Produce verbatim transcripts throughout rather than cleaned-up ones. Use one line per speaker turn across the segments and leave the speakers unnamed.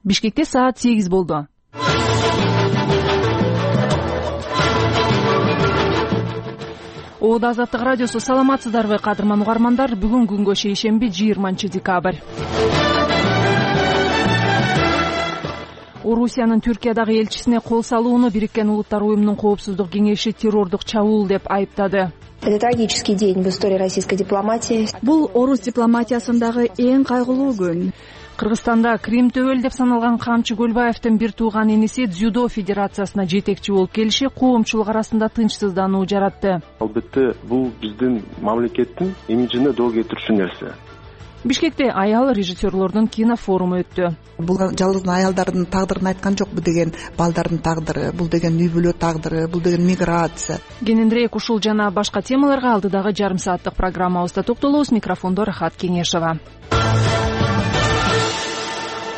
Бишкекте саат сегиз болду. Оодо Азаттык радиосу, саламатсыздарбы кадырман угармандар? Бүгүн күнгө шейшемби, жыйырманчы декабрь. Орусиянын Түркиядагы элчисине кол салууну Бириккен Улуттар уюмунун коопсуздук кеңеши террордук чабуул деп айыптады.
Это трагический день в истории российской дипломатии.
Бул орус дипломатиясындагы эң кайгылуу күн.
Кыргызстанда Крим төбөл деп саналган Камчы Көлбаевдин бир тууган иниси дзюдо федерациясына жетекчи болуп келиши коомчулук арасында тынчсыздануу жаратты.
Албетте бул биздин мамлекеттин имиджине доо кетирүүчү нерсе.
Бишкекте аял режиссерлордун кинофоруму өттү.
Бул жалгыз аялдардын тагдырын айткан жок, бул деген балдардын тагдыры, бул деген үй бүлө тагдыры, бул деген миграция.
Кененирээк ушул жана башка темаларга алдыдагы жарым сааттык программабызда токтолобуз. Микрофондо Рахат Кеңешова.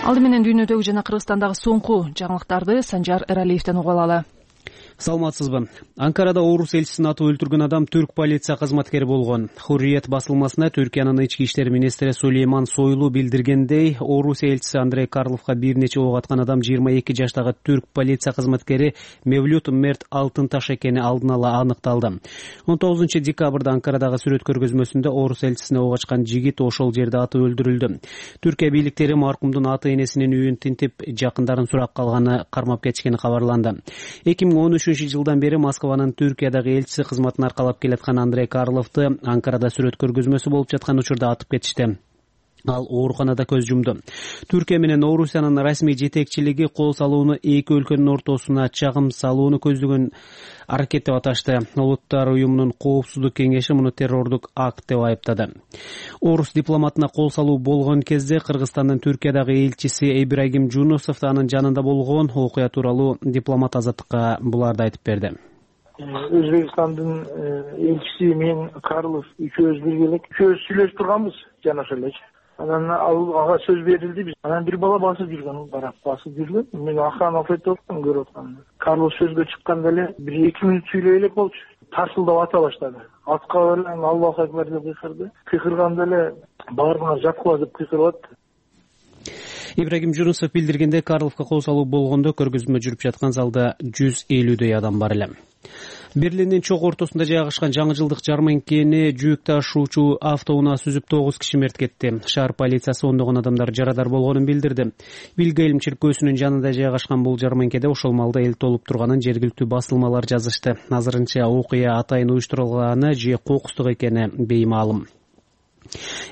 Алды менен дүйнөдөгү жана Кыргызстандагы соңку жаңылыктарды Санжар Эралиевден угуп алалы.
Саламатсызбы. Анкарада орус элчисин атып өлтүргөн адам түрк полиция кызматкери болгон. Хурриет басылмасына Түркиянын ички иштер министри Сулейман Сойлу билдиргендей, орус элчиси Андрей Карловго бир нече ок аткан адам жыйырма эки жаштагы түрк полиция кызматкери Мевлют Мерт Алтынташ экени алдын ала аныкталды. он тогузунчу декабрда Анкарадагы сүрөт көргөзмөсүндө орус элчисине ок ачкан жигит ошол жерде атып өлтүрүлдү. Түркия бийликтери маркумдун ата энесинин үйүн тинтип, жакындарын сурап калганы кармап кетишкени кабарланды. эки миң он үчүнчү жылдан бери Москванын Түркиядагы элчиси кызматын аркалап келаткан Андрей Карловду Анкарада сүрөт көргөзмөсү болуп жаткан учурда атып кетишти. Ал ооруканада көз жумду. Түркия менен Орусиянын расмий жетекчилиги кол салууну эки өлкөнүн ортосуна чагым салууну көздөгөн аракет деп аташты. Улуттар уюмунун коопсуздук кеңеши муну террордук акт деп айыптады. Орус дипломатына кол салуу болгон кезде Кыргызстандын Түркиядагы элчиси Ибрагим Жунусов анын жанында болгон окуя тууралуу дипломат Азаттыкка буларды айтып берди.
Өзбекстандын элчиси мен Карлов үчөөбүз биргелек үчөөбүз сүйлөшүп турганбыз жана ошолчу. Анан ага сөз берилди, биз анан бир бала басып жүргөн, барак басып жүргөн. Мен акырын алып отурдум, көрүп аткам. Карлос сөзгө чыкканда эле бир эки мүнөт сүйлөй элек болчу. Тарсылдап ата баштады. Атка эле Аллаху акбар деп кыйкырды. Кыйкырганда эле баарыңар жаткыла деп кыйкырып атты.
Ибрагим Жунусов билдиргенде, Карловго кол салуу болгондо көргөзмө жүрүп жаткан залда жүз элүүдөй адам бар эле. Берлиндин чок ортосунда жайгашкан жаңы жылдык жарманкени жүк ташуучу автоунаа сүзүп тогуз киши мерт кетти. Шаар полициясы ондогон адамдар жарадар болгонун билдирди. Вильгельм чиркөөсүнүн жанында жайгашкан бул жарманкеде ошол маалда эл толуп турганын жергиликтүү басылмалар жазышты. Азырынча окуя атайын уюштурулганы же кокустук экени беймаалым.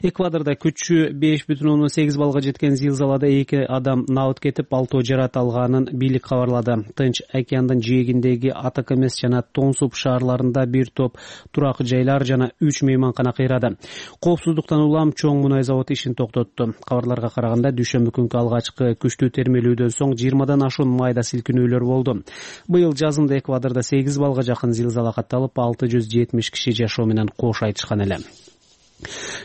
Эквадорда күчү беш бүтүн ондон сегиз балга жеткен зилзалада эки адам набыт кетип, алтоо жарат алганын бийлик кабарлады. Тынч океандын жээгиндеги Атакамес жана Тонсуп шаарларында бир топ турак жайлар жана үч мейманкана кыйрады. Коопсуздуктан улам чоң мунай завод ишин токтотту. Кабарларга караганда, дүйшөмбү күнкү алгачкы күчтүү термелүүдөн соң жыйырмадан ашуун майда силкинүүлөр болду. Быйыл жазында Эквадорда сегиз балга жакын зилзала катталып, алты жүз жетимиш киши жашоо менен кош айтышкан эле.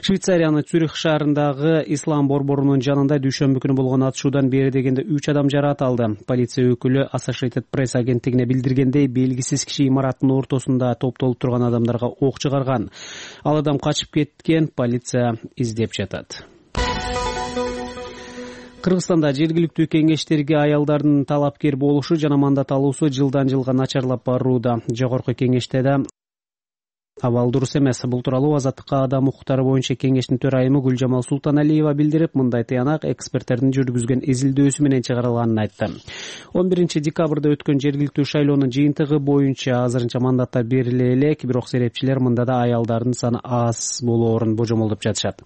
Швейцариянын Цюрих шаарындагы Ислам борборунун жанында дүйшөмбү күнү болгон атышуудан бери дегенде үч адам жараат алды. Полиция өкүлү Associated Press агенттигине билдиргендей, белгисиз киши имараттын ортосунда топтолуп турган адамдарга ок чыгарган. Ал адам качып кеткен, полиция издеп жатат. Кыргызстанда жергиликтүү кеңештерге аялдардын талапкер болушу жана мандат алуусу жылдан жылга начарлап барууда. Жогорку кеңеште да абал дурус эмес. Бул тууралуу Азаттыкка адам укуктары боюнча кеңештин төрайымы Гүлжамал Султаналиева билдирип, мындай тыянак эксперттердин жүргүзгөн изилдөөсү менен чыгарылганын айтты. он биринчи декабрда өткөн жергиликтүү шайлоонун жыйынтыгы боюнча азырынча мандаттар бериле элек, бирок серепчилер мында да аялдардын саны аз болоорун божомолдоп жатышат.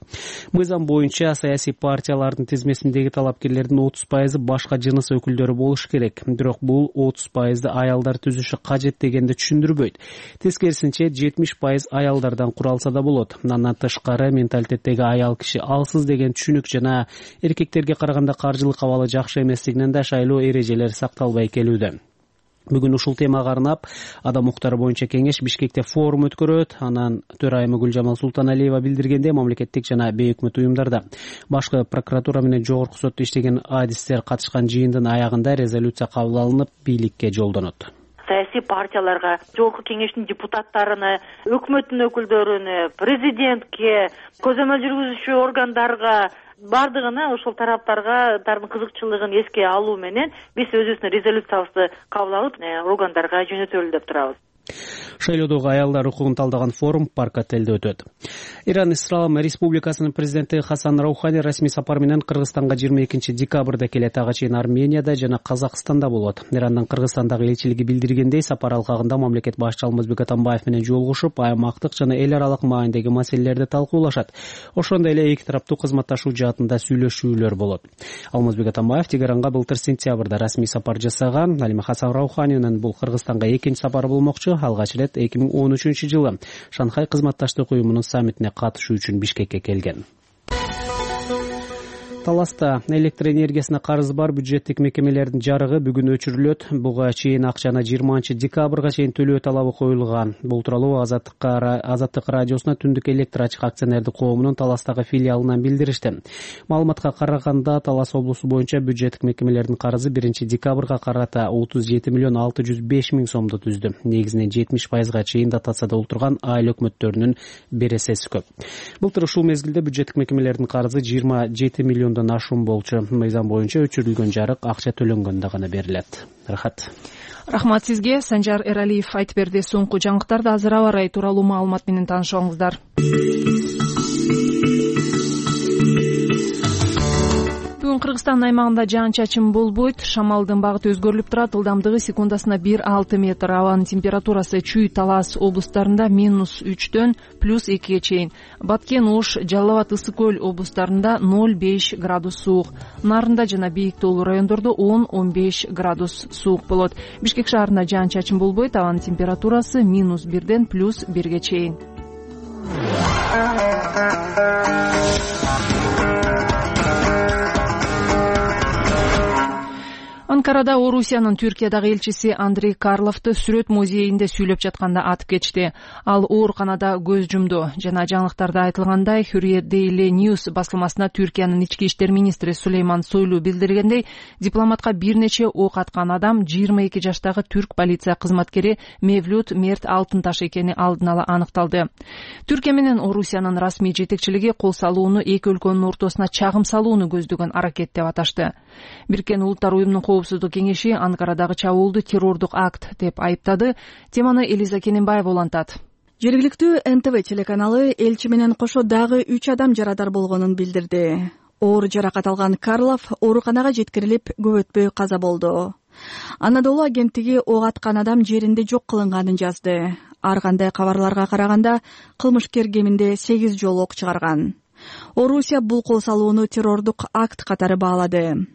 Мыйзам боюнча саясий партиялардын тизмесиндеги талапкерлердин отуз пайызы башка жыныс өкүлдөрү болуш керек. Бирок бул отуз пайызды аялдар түзүшү кажет дегенди түшүндүрбөйт. Тескерисинче жетимиш пайыз аялдардан куралса да болот. Андан тышкары менталитеттеги аял киши алсыз деген түшүнүк жана эркектерге караганда каржылык абалы жакшы эместигинен да шайлоо эрежелери сакталбай келүүдө. Бүгүн ушул темага арнап адам укуктары боюнча кеңеш Бишкекте форум өткөрөт. Анан төрайымы Гүлжамал Султаналиева билдиргенде, мамлекеттик жана бейөкмөт уюмдарда башкы прокуратура менен жогорку сотто иштеген адистер катышкан жыйындын аягында резолюция кабыл алынып, бийликке жолдонот.
саясий партияларга, жогорку кеңештин депутаттарына, өкмөттүн өкүлдөрүнө, президентке, көзөмөл жүргүзүүчү органдарга, бардыгына ошол тараптарга тардын кызыкчылыгын эске алуу менен биз өзүбүздүн резолюциябызды кабыл алып органдарга жөнөтөлү деп турабыз.
Шайлоодогу аялдар укугун талдаган форум парк отелде өтөт. Иран Ислам Республикасынын президенти Хасан Раухани расмий сапар менен Кыргызстанга жыйырма экинчи декабрда келет. Ага чейин Арменияда жана Казакстанда болот. Ирандын Кыргызстандагы элчилиги билдиргендей, сапар алкагында мамлекет башчысы Алмазбек Атамбаев менен жолугушуп, аймактык жана эл аралык маанидеги маселелерди талкуулашат. Ошондой эле эки тараптуу кызматташуу жаатында сүйлөшүүлөр болот. Алмазбек Атамбаев Тегеранга былтыр сентябрда расмий сапар жасаган. Ал эми Хасан Рауханинин бул Кыргызстанга экинчи сапары болмокчу. Алгач ирет эки миң он үчүнчү жылы Шанхай кызматташтык уюмунун саммитине катышуу үчүн Бишкекке келген. Таласта электр энергиясына карызы бар бюджеттик мекемелердин жарыгы бүгүн өчүрүлөт. Буга чейин акчаны жыйырманчы декабрга чейин төлөө талабы коюлган. Бул тууралуу Азаттык радиосуна Түндүк электр ачык акционердик коомунун Таластагы филиалынан билдиришти. Маалыматка караганда, Талас облусу боюнча бюджеттик мекемелердин карызы биринчи декабрга карата отуз жети миллион алты жүз беш миң сомду түздү. Негизинен жетимиш пайызга чейин дотацияда олтурган айыл өкмөттөрүнүн бересеси көп. Былтыр ушул мезгилде бюджеттик мекемелердин карызы жыйырма жети миллион ашуун болчу. Мыйзам боюнча өчүрүлгөн жарык акча төлөнгөндө гана берилет. Рахат.
Рахмат сизге. Санжар Эралиев айтып берди. Соңку жаңылыктарды азыр аба ырайы тууралуу маалымат менен таанышыңыздар. Бүгүн Кыргызстан аймагында жаан-чачын болбойт. Шамалдын багыты өзгөрүлүп турат. Ылдамдыгы секундасына бир алты метр. Абанын температурасы Чүй, Талас облустарында минус үчтөн плюс экиге чейин. Баткен, Ош, Жалал абад, Ысык көл облустарында ноль беш градус суук. Нарында жана бийик тоолуу райондордо он он беш градус суук болот. Бишкек шаарында жаан-чачын болбойт. Абанын температурасы минус бирден плюс бирге чейин. Анкарада Орусиянын Түркиядагы элчиси Андрей Карловду сүрөт музейинде сүйлөп жатканда атып кетишти. Ал ооруканада көз жумду. Жана жаңылыктарда айтылгандай, Hürriyet Daily News басылмасына Түркиянын ички иштер министри Сулейман Сойлу билдиргендей, дипломатка бир нече ок аткан адам жыйырма эки жаштагы түрк полиция кызматкери Мевлют Мерт Алтынташ экени алдын ала аныкталды. Түркия менен Орусиянын расмий жетекчилиги кол салууну эки өлкөнүн ортосуна чагым салууну көздөгөн аракет деп аташты. Бириккен Улуттар уюмунун Коопсуздук кеңеши Анкарадагы чабуулду террордук акт деп айыптады. Теманы Элиза Кененбаева улантат.
Жергиликтүү Эн Тэ Вэ телеканалы элчи менен кошо дагы үч адам жарадар болгонун билдирди. Оор жаракат алган Карлов ооруканага жеткирилип, көп өтпөй каза болду. Анадолу агенттиги ок аткан адам жеринде жок кылынганын жазды. Ар кандай кабарларга караганда, кылмышкер кеминде сегиз жолу ок чыгарган. Орусия бул кол салууну террордук акт катары баалады.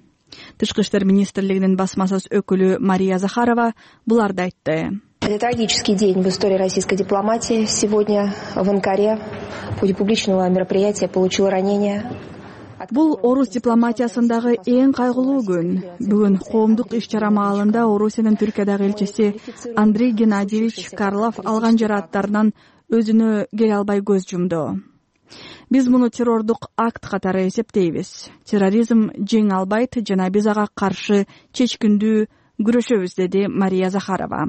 Тышкы иштер министрлигинин басма сөз өкүлү Мария Захарова буларды айтты.
Это трагический день в истории российской дипломатии. Сегодня в Анкаре в ходе публичного мероприятия получил ранение.
Бул орус дипломатиясындагы эң кайгылуу күн. Бүгүн коомдук иш-чара маалында Орусиянын Түркиядагы элчиси Андрей Геннадьевич Карлов алган жарааттарынан өзүнө келе албай көз жумду. Биз муну террордук акт катары эсептейбиз. Терроризм жеңе албайт жана биз ага каршы чечкиндүү күрөшөбүз, деди Мария Захарова.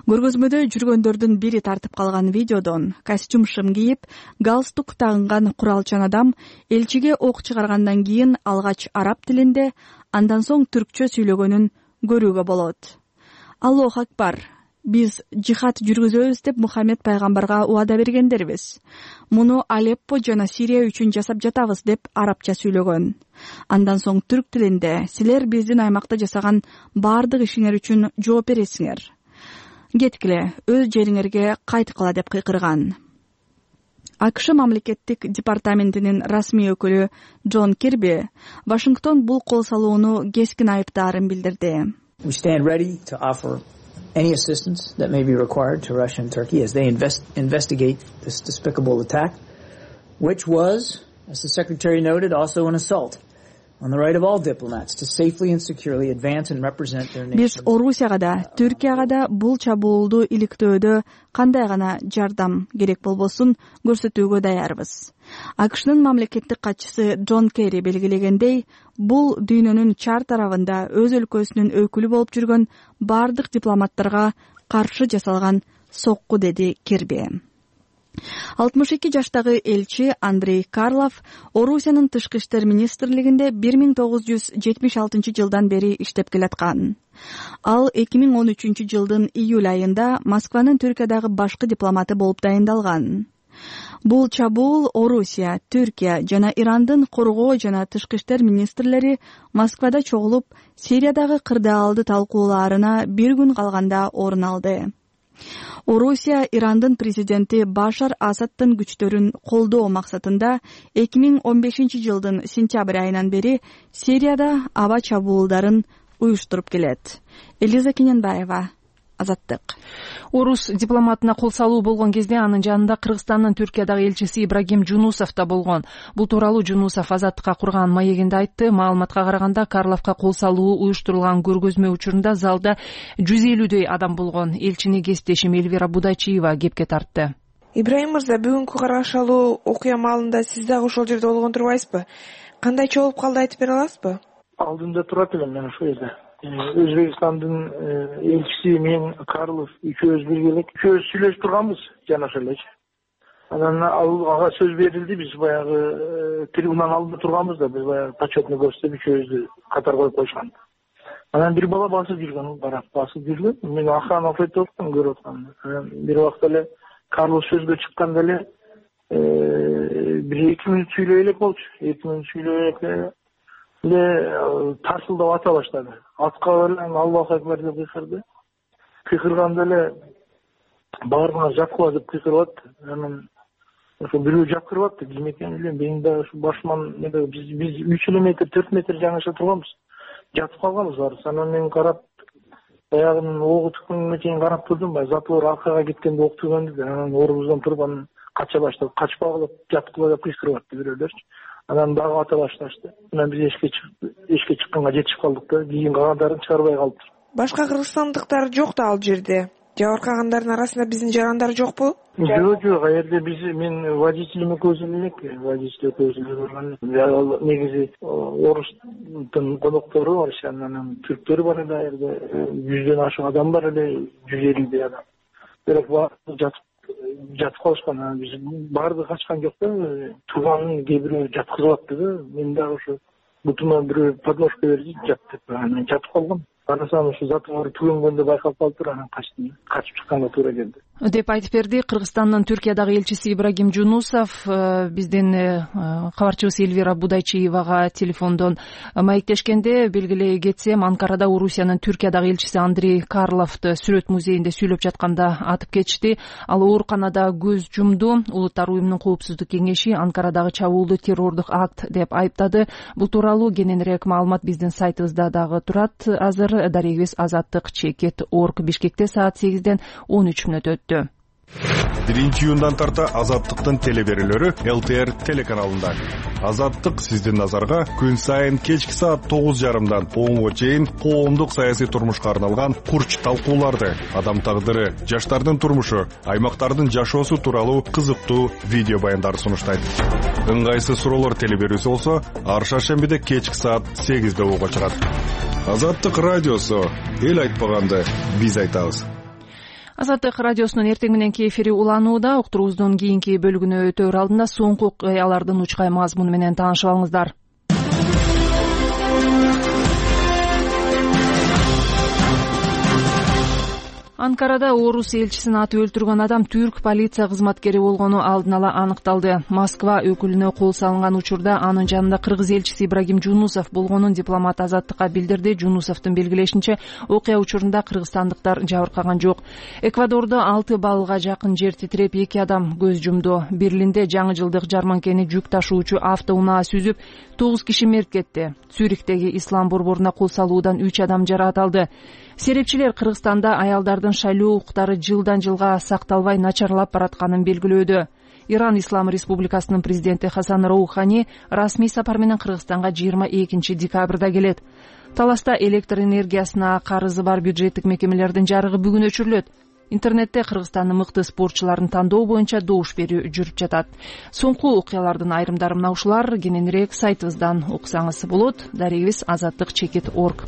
Көргөзмөдө жүргөндөрдүн бири тартып калган видеодон костюм шым кийип, галстук тагынган куралчан адам элчиге ок чыгаргандан кийин алгач араб тилинде, андан соң түркчө сүйлөгөнүн көрүүгө болот. Аллоху акбар. Биз жихад жүргүзөбүз деп Мухаммед пайгамбарга убада бергендербиз. Муну Алеппо жана Сирия үчүн жасап жатабыз деп арабча сүйлөгөн. Андан соң түрк тилинде силер биздин аймакта жасаган баардык ишиңер үчүн жооп бересиңер. Кеткиле, өз жериңерге кайткыла деп кыйкырган. АКШ мамлекеттик департаментинин расмий өкүлү Джон Кирби Вашингтон бул кол салууну кескин айыптаарын билдирди.
We stand ready to offer any assistance that may be required to Russia and Turkey as they invest, investigate this despicable attack, which was, as the Secretary noted, also an assault on the right of all diplomats to safely and securely advance and represent their nations.
Биз Орусияга да, Түркияга да бул чабуулду иликтөөдө кандай гана жардам керек болбосун көрсөтүүгө даярбыз. АКШнын мамлекеттик катчысы Джон Керри белгилегендей, бул дүйнөнүн чар тарабында өз өлкөсүнүн өкүлү болуп жүргөн бардык дипломаттарга каршы жасалган сокку, деди Кирби. алтымыш эки жаштагы элчи Андрей Карлов Орусиянын тышкы иштер министрлигинде бир миң тогуз жүз жетимиш алтынчы жылдан бери иштеп келаткан. Ал эки миң он үчүнчү жылдын июль айында Москванын Түркиядагы башкы дипломаты болуп дайындалган. Бул чабуул Орусия, Түркия жана Ирандын коргоо жана тышкы иштер министрлери Москвада чогулуп, Сириядагы кырдаалды талкуулаарына бир күн калганда орун алды. Орусия Ирандын президенти Башар Асадтын күчтөрүн колдоо максатында эки миң он бешинчи жылдын сентябрь айынан бери Сирияда аба чабуулдарын уюштуруп келет. Элиза Кененбаева, Азаттык.
Орус дипломатына кол салуу болгон кезде анын жанында Кыргызстандын Түркиядагы элчиси Ибрагим Жунусов да болгон. Бул тууралуу Жунусов Азаттыкка курган маегинде айтты. Маалыматка караганда, Карловго кол салуу уюштурулган көргөзмө учурунда залда жүз элүүдөй адам болгон. Элчини кесиптешим Эльвира Будайчиева кепке тартты.
Ибрагим мырза, бүгүнкү карашалуу окуя маалында сиз дагы ошол жерде болгон турбайсызбы? Кандайча болуп калды, айтып бере аласызбы?
Алдында турат элем мен ошол жерде. Өзбекстандын элчиси мен Карлов үчөөбүз бирге элек үчөөбүз сүйлөшүп турганбыз жана ошол элечи. Анан ага сөз берилди, биз баягы трибунанын алдында турганбыз да, биз баягы почетный көрсөтүп үчөөбүздү катар коюп койушкан. Анан бир бала басып жүргөн, барак басып жүргөн. Мен охрана офетип аткам, көрүп аткам. Анан бир убакта эле Карлов сөзгө чыкканда эле бир эки мүнөт сүйлөй элек болчу. эки мүнөт сүйлөй элек эле тарсылдап ата баштады. Атка эле Аллаху акбар деп кыйкырды. Кыйкырганда эле баарына жапкыла деп кыйкырып атты. Анан ошо бирөө жапкырып атты. Ким экенин билбейм. Мен да ушу башыман биз биз үч метр, төрт метр жаңыша турганбыз. Жатып калганбыз баарыбыз. Анан мен карап, аягынын огу түккөнгө чейин карап турдум. Затвор аркага кеткенде ок түгөндү. Анан орубуздан туруп анан кача баштады. Качпагыла жаткыла деп кыйкырып атты бирөөлөрчү. Анан дагы ата башташты. Анан биз эшикке чыктык, эшикке чыкканга жетишип калдык да, кийин калгандарын чыгарбай калыптыр.
Башка кыргызстандыктар жок да ал жерде. Жабыркагандардын арасында биздин жарандар жокпу?
Жок, жок, а жерде биз мен водителим экөөбүз элек, водитель экөөбүз эле барган. Ал негизи орустун коноктору бар, анан түрктөр бар эле, а жерде жүздөн ашык адам бар эле, жүз элүүдөй адам. Бирок жатып жатып калышкан. Анан биз баардыгы качкан жок да, тууганын кээ бирөө жаткызып атты да, мен дагы ошо бутума бирөө подножка берди, жаттып, анан жатып калгам. Карасам ушу затвор түгөнгөндө байкалып калыптыр, анан качтым. Качып чыкканга туура келди
деп айтып берди Кыргызстандын Түркиядагы элчиси Ибрагим Жунусов. Биздин кабарчыбыз Эльвира Будайчиевага телефондон маектешкенде белгилей кетсем, Анкарада Орусиянын Түркиядагы элчиси Андрей Карловду сүрөт музейинде сүйлөп жатканда атып кетишти. Ал ооруканада көз жумду. Улуттар уюмунун коопсуздук кеңеши Анкарадагы чабуулду террордук акт деп айыптады. Бул тууралуу кененирээк маалымат биздин сайтыбызда дагы турат. Азыр дарегибиз Азаттык чекит орг Бишкекте саат сегизден он үч мүнөт өттү.
биринчи июндан тарта Азаттыктын телеберүүлөрү эл тэ эр телеканалында. Азаттык сиздин назарга күн сайын кечки саат тогуз жарымдан онго чейин коомдук саясий турмушка арналган курч талкууларды, адам тагдыры, жаштардын турмушу, аймактардын жашоосу тууралуу кызыктуу видео баяндарды сунуштайт. Ыңгайсыз суроолор телеберүүсү болсо, ар шаршембиде кечки саат сегизде угууга чыгат. Азаттык радиосу, эл айтпаганды биз айтабыз.
Азаттык радиосунун эртең мененки эфири уланууда. Уктуруубуздун кийинки бөлүгүнө өтөөр алдында соңку окуялардын учкай мазмуну менен таанышып алыңыздар. Анкарада орус элчисин атып өлтүргөн адам түрк полиция кызматкери болгону алдын ала аныкталды. Москва өкүлүнө кол салынган учурда анын жанында кыргыз элчиси Ибрагим Жунусов болгонун дипломат Азаттыкка билдирди. Жунусовдун белгилешинче, окуя учурунда кыргызстандыктар жабыркаган жок. Эквадордо алты баллга жакын жер титиреп эки адам көз жумду. Берлинде жаңы жылдык жарманкени жүк ташуучу автоунаа сүзүп, тогуз киши мерт кетти. Цюрихтеги ислам борборуна кол салуудан үч адам жараат алды. Серепчилер Кыргызстанда аялдардын шайлоо укуктары жылдан жылга сакталбай начарлап баратканын белгилөөдө. Иран Ислам Республикасынын президенти Хасан Роухани расмий сапар менен Кыргызстанга жыйырма экинчи декабрда келет. Таласта электр энергиясына карызы бар бюджеттик мекемелердин жарыгы бүгүн өчүрүлөт. Интернетте Кыргызстандын мыкты спортчуларын тандоо боюнча добуш берүү жүрүп жатат. Соңку окуялардын айрымдары мына ушулар. Кененирээк сайтыбыздан окусаңыз болот. Дарегибиз азаттык чекит точка орг.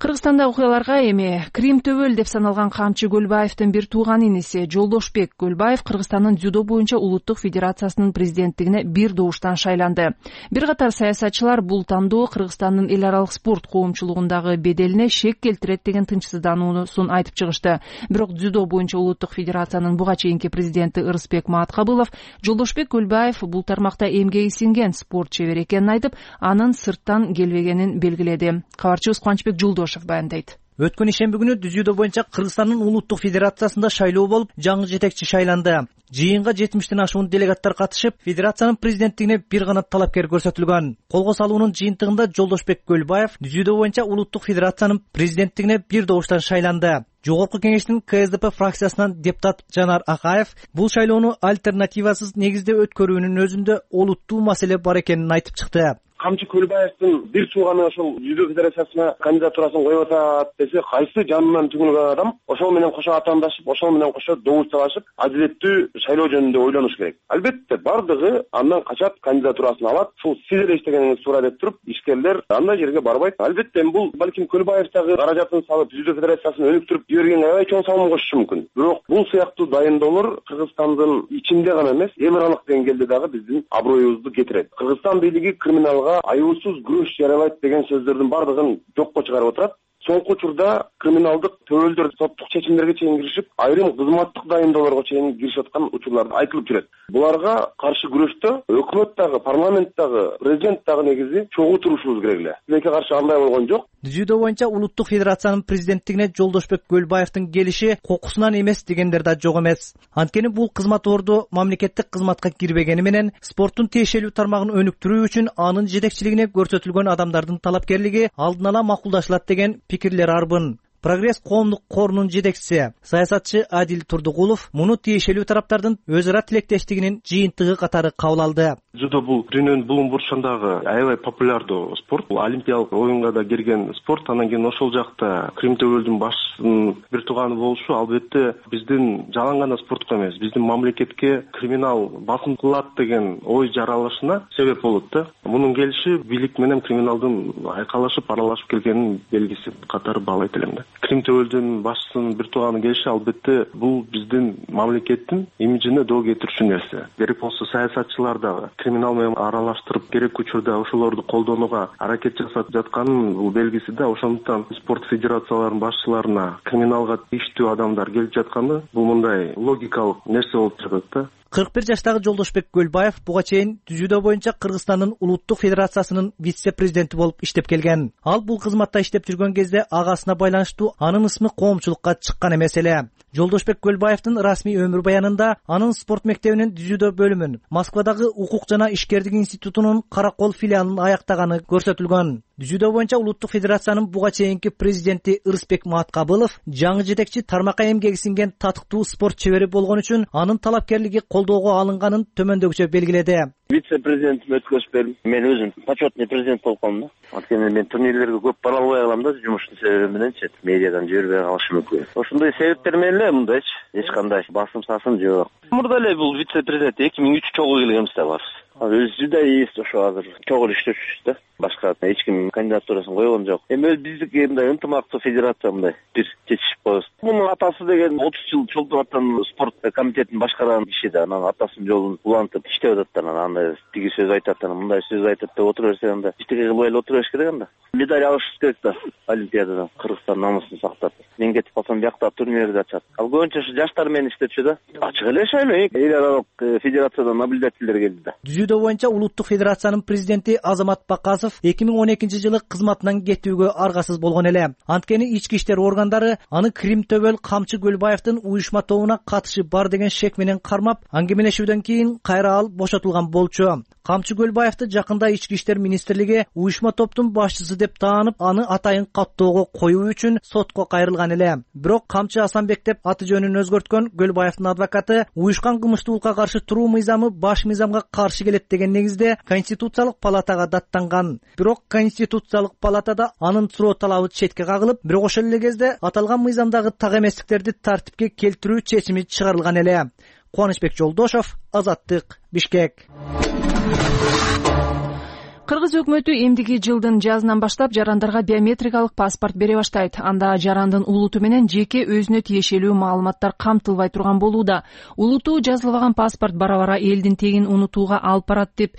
Кыргызстанда окуяларга эми Крим төбөл деп саналган Камчы Көлбаевдин бир тууган иниси Жолдошбек Көлбаев Кыргызстандын дзюдо боюнча улуттук федерациясынын президенттигине бир добуштан шайланды. Бир катар саясатчылар бул тандоо Кыргызстандын эл аралык спорт коомчулугундагы беделине шек келтирет деген тынчсыздануусун айтып чыгышты. Бирок дзюдо боюнча улуттук федерациянын буга чейинки президенти Ырысбек Мааткабылов Жолдошбек Көлбаев бул тармакта эмгеги сиңген спорт чебери экенин айтып, анын сырттан келбегенин белгиледи. Кабарчыбыз Кубанычбек Жолдошев баяндайт.
Өткөн ишемби күнү дзюдо боюнча Кыргызстандын улуттук федерациясында шайлоо болуп, жаңы жетекчи шайланды. Жыйынга жетимиштен ашуун делегаттар катышып, федерациянын президенттигине бир гана талапкер көрсөтүлгөн. Колго салуунун жыйынтыгында Жолдошбек Көлбаев дзюдо боюнча улуттук федерациянын президенттигине бир добуштан шайланды. Жогорку кеңештин Ка Эс Де Пе фракциясынан депутат Жанар Акаев бул шайлоону альтернативасыз негизде өткөрүүнүн өзүндө олуттуу маселе бар экенин айтып чыкты.
Камчы Көлбаевдин бир тууганы ошол дзюдо федерациясына кандидатурасын коюп атат десе, кайсы жанынан түгүлгөн адам ошол менен кошо атаандашып, ошол менен кошо добуш талашып, адилеттүү шайлоо жөнүндө ойлонуш керек. Албетте бардыгы андан качат, кандидатурасын алат. Ушул сиз эле иштегениңиз туура деп туруп, ишкерлер андай жерге барбайт. Албетте бул балким Көлбаевдагы каражатын салып, дзюдо федерациясын өнүктүрүп жибергенге аябай чоң салым кошушу мүмкүн. Бирок бул сыяктуу дайындоолор Кыргызстандын ичинде гана эмес, эл аралык деңгээлде дагы биздин аброюбузду кетирет. Кыргызстан бийлиги криминалга аюусуз күрөш жарыялайт деген сөздөрдүн бардыгын жокко чыгарып отурат. Соңку учурда криминалдык төбөлдөр соттук чечимдерге чейин киришип, айрым кызматтык дайындоолорго чейин киришип аткан учурлар айтылып жүрөт. Буларга каршы күрөштө өкмөт дагы, парламент дагы, президент дагы негизи чогуу турушубуз керек эле. Тилекке каршы андай болгон жок.
Дзюдо боюнча улуттук федерациянын президенттигине Жолдошбек Көлбаевдин келиши кокусунан эмес дегендер да жок эмес. Анткени бул кызмат орду мамлекеттик кызматка кирбегени менен спорттун тиешелүү тармагын өнүктүрүү үчүн анын жетекчилигине көрсөтүлгөн адамдардын талапкерлиги алдын ала макулдашылат деген пикирлер арбын. Прогресс коомдук корунун жетекчиси саясатчы Адил Турдугулов муну тиешелүү тараптардын өз ара тилектештигинин жыйынтыгы катары кабыл алды.
Дзюдо бул дүйнөнүн булуң бурчундагы аябай популярдуу спорт. Бул олимпиялык оюнга да кирген спорт. Анан кийин ошол жакта Крим төбөлдүн башчысынын бир тууганы болушу албетте биздин жалаң гана спортко эмес, биздин мамлекетке криминал басым кылат деген ой жаралышына себеп болот да. Мунун келиши бийлик менен криминалдын айкалашып, аралашып келгенин белгиси катары баалайт элем да. Крим төбөлдүн башчысынын бир тууганы келиши албетте бул биздин мамлекеттин имиджине доо кетирүүчү нерсе. Керек болсо саясатчылар дагы криминал менен аралаштырып керек учурда ошолорду колдонууга аракет жасап жатканын бул белгиси да. Ошондуктан спорт федерацияларынын башчыларына криминалга тийиштүү адамдар келип жатканы бул мындай логикалык нерсе болуп жатат да.
кырк бир жаштагы Жолдошбек Көлбаев буга чейин дзюдо боюнча Кыргызстандын улуттук федерациясынын вице-президенти болуп иштеп келген. Ал бул кызматта иштеп жүргөн кезде агасына байланыштуу анын ысмы коомчулукка чыккан эмес эле. Жолдошбек Көлбаевдин расмий өмүр баянында анын спорт мектебинин дзюдо бөлүмүн, Москвадагы укук жана ишкердик институтунун Каракол филиалын аяктаганы көрсөтүлгөн. Дзюдо боюнча улуттук федерациянын буга чейинки президенти Ырысбек Мааткабылов жаңы жетекчи тармакка эмгеги сиңген татыктуу спорт чебери болгон үчүн анын талапкерлиги колдоого алынганын төмөндөгүчө белгиледи.
Вице-президентим өткөзүп мен өзүм почетный президент болуп калдым да. Анткени мен турнирлерге көп бара албай калам да, жумуштун себеби мененчи, медиадан жибербей калышым мүмкүн. Ошондой себептер менен эле мындайчы, эч кандай басым сасым жок. Мурда эле бул вице-президент эки миң үч чогуу келгенбиз да барыбыз. Өзү жүдө ийиз ошо азыр чогуу иштешүбүз да. Башка эч ким кандидатурасын койгон жок. Эми биздики мындай ынтымактуу федерация мындай бир чечишип коебуз. Мунун атасы деген отуз жыл чолтуруп аткан спорт комитетин башкарган киши да. Анан атасынын жолун улантып иштеп атат да. Анан андай тиги сөз айтат, анан мындай сөз айтат деп отура берсе анда иштеге кылбай эле отура бериш керек анда. Медаль алышыбыз керек да. Олимпиададан Кыргызстан намысын сактап. Мен кетип калсам биякта турнирди ачат. Ал көбүнчө ушу жаштар менен иштепчү да. Ачык эле шайлоо. Эл аралык федерациядан наблюдательдер келди да.
Дзюдо боюнча улуттук федерациянын президенти Азамат Бакасов эки миң он экинчи жылы кызматынан кетүүгө аргасыз болгон эле. Анткени ички иштер органдары аны Крим төбөл Камчы Көлбаевдин уюшма тобуна катышы бар деген шек менен кармап, аңгемелешүүдөн кийин кайра ал бошотулган болчу. Камчы Көлбаевди жакында ички иштер министрлиги уюшма топтун башчысы деп таанып, аны атайын каттоого коюу үчүн сотко кайрылган эле. Бирок Камчы Асанбек деп аты жөнүн өзгөрткөн Көлбаевдин адвокаты уюшкан кылмыштуулукка каршы туруу мыйзамы баш мыйзамга каршы келет деген негизде Конституциялык палатага даттанган. Бирок Конституциялык палатада анын суроо талабы четке кагылып, бирок ошол эле кезде аталган мыйзамдагы так эместиктерди тартипке келтирүү чечими чыгарылган эле. Кубанычбек Жолдошов, Азаттык, Бишкек.
Кыргыз өкмөтү эмдиги жылдын жазынан баштап жарандарга биометрикалык паспорт бере баштайт. Анда жарандын улуту менен жеке өзүнө тиешелүү маалыматтар камтылбай турган болууда. Улуту жазылбаган паспорт бара-бара элдин тегин унутууга алып барат деп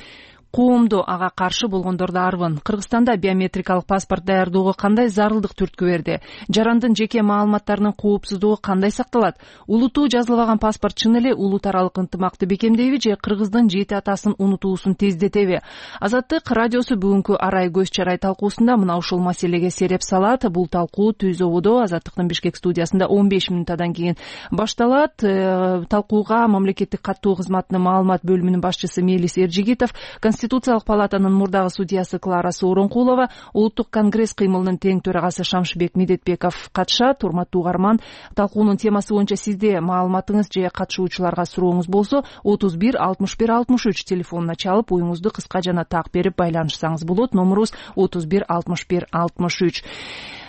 коомдо ага каршы болгондор да арбын. Кыргызстанда биометрикалык паспорт даярдоого кандай зарылдык түрткү берди? Жарандын жеке маалыматтарынын коопсуздугу кандай сакталат? Улуту жазылбаган паспорт чын эле улут аралык ынтымакты бекемдейби же Кыргыздын жети атасын унутуусун тездетеби? Азаттык радиосу бүгүнкү арай көз чарай талкуусунда мына ушул маселеге сереп салат. Бул талкуу Түз ободо Азаттыктын Бишкек студиясында он беш мүнөттөн кийин башталат. Талкууга мамлекеттик каттоо кызматынын маалымат бөлүмүнүн башчысы Мелис Эржигитов, Конституциялык палатанын мурдагы судьясы Клара Сооронкулова, Улуттук конгресс кыймылынын тең төрагасы Шамшыбек Медетбеков катышат. Урматтуу угарман, талкуунун темасы боюнча сизде маалыматыңыз же катышуучуларга сурооңуз болсо отуз бир алтымыш бир алтымыш үч телефонуна чалып, оюңузду кыска жана так берип байланышсаңыз болот. Номерубуз отуз бир алтымыш бир алтымыш үч.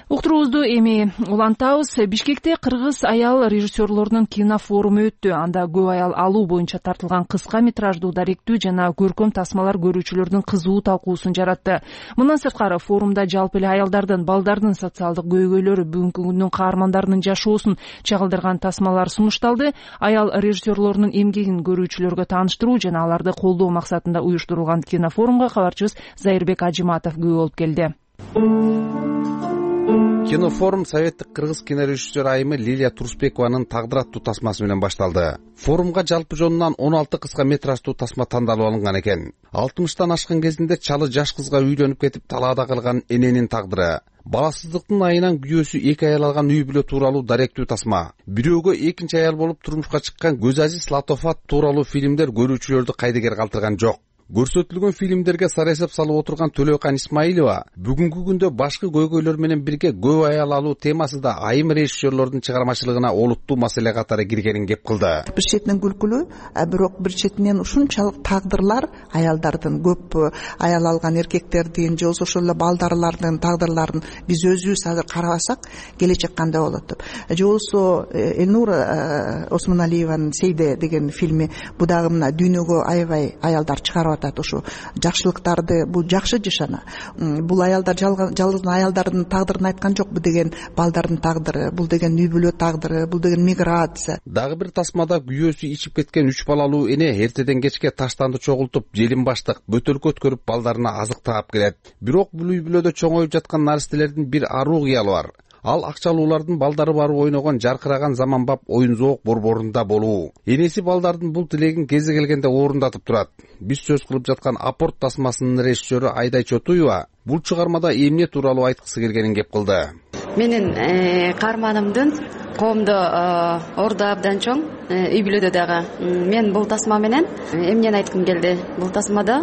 Уктуруубузду эми улантабыз. Бишкекте кыргыз аял режиссерлорунун кино форуму өттү. Анда көп аял алуу боюнча тартылган кыска метраждуу даректүү жана көркөм тасмалар көрүүчүлөрдүн кызуу талкуусун жаратты. Мындан сырткары форумда жалпы эле аялдардын, балдардын социалдык көйгөйлөрү, бүгүнкү күндүн каармандарынын жашоосун чагылдырган тасмалар сунушталды. Аял режиссерлорунун эмгегин көрүүчүлөргө тааныштыруу жана аларды колдоо максатында уюштурулган кино форумга кабарчыбыз Зайырбек Ажиматов күбө болуп келди.
Кинофорум Советтик кыргыз кинорежиссер айымы Лилия Турсбекованын тагдыр аттуу тасмасы менен башталды. Форумга жалпы жонунан он алты кыска метраждуу тасма тандалып алынган экен. алтымыштан ашкан кезинде чалы жаш кызга үйлөнүп кетип талаада калган эненин тагдыры, баласыздыктын айынан күйөөсү эки аял алган үй бүлө тууралуу даректүү тасма, бирөөгө экинчи аял болуп турмушка чыккан Көзазиз Латофат тууралуу фильмдер көрүүчүлөрдү кайдыгер калтырган жок. Көрсөтүлгөн фильмдерге сара эсеп салып отурган Төлөкан Исмаилова бүгүнкү күндө башкы көйгөйлөр менен бирге көп аял алуу темасы да айым режиссерлордун чыгармачылыгына олуттуу маселе катары киргенин кеп кылды.
Бир четинен күлкүлүү, бирок бир четинен ушунчалык тагдырлар аялдардын, көп аял алган эркектердин же болбосо ошол эле балдарлардын тагдырларын биз өзүбүз азыр карабасак келечек кандай болот деп. Же болбосо Элнура Осмоналиеванын Сейде деген фильми, бу дагы мына дүйнөгө аябай аялдар чыгарып ошо жакшылыктарды, бул жакшы жашана. Бул аялдар жалгыз аялдардын тагдырын айткан жокпу деген балдардын тагдыры, бул деген үй бүлө тагдыры, бул деген миграция.
Дагы бир тасмада күйөөсү ичип кеткен үч балалуу эне эртеден кечке таштанды чогултуп, желин баштык, бөтөлкө өткөрүп балдарына азык таап келет. Бирок бул үй бүлөдө чоңоюп жаткан наристелердин бир аруу кыялы бар. Ал акчалуулардын балдары барып ойногон жаркыраган заманбап оюн зоок борборунда болуу. Энеси балдардын бул тилегин кези келгенде орундатып турат. Биз сөз кылып жаткан Апорт тасмасынын режиссеру Айдай Чотуева бул чыгармада эмне тууралуу айткысы келгенин кеп кылды.
Менин каарманымдын коомдо орду абдан чоң, үй бүлөдө дагы. Мен бул тасма менен эмнени айткым келди? Бул тасмада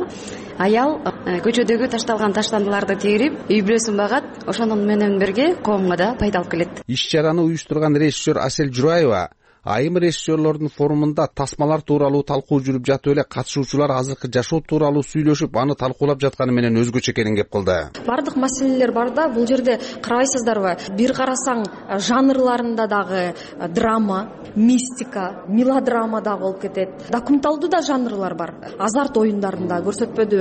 аял көчөдөгү ташталган таштандыларды терип, үй бүлөсүн багат, ошонун менен бирге коомго да пайда алып келет.
Иш-чараны уюштурган режиссер Асель Жураева айым режиссерлордун форумунда тасмалар тууралуу талкуу жүрүп жатып эле катышуучулар азыркы жашоо тууралуу сүйлөшүп, аны талкуулап жатканы менен өзгөчө экенин кеп кылды.
Бардык маселелер бар да, бул жерде карабайсыздарбы? Бир карасаң жанрларында дагы драма, мистика, мелодрама да болуп кетет. Документалдуу да жанрлар бар. Азарт оюндарында көрсөтпөдү,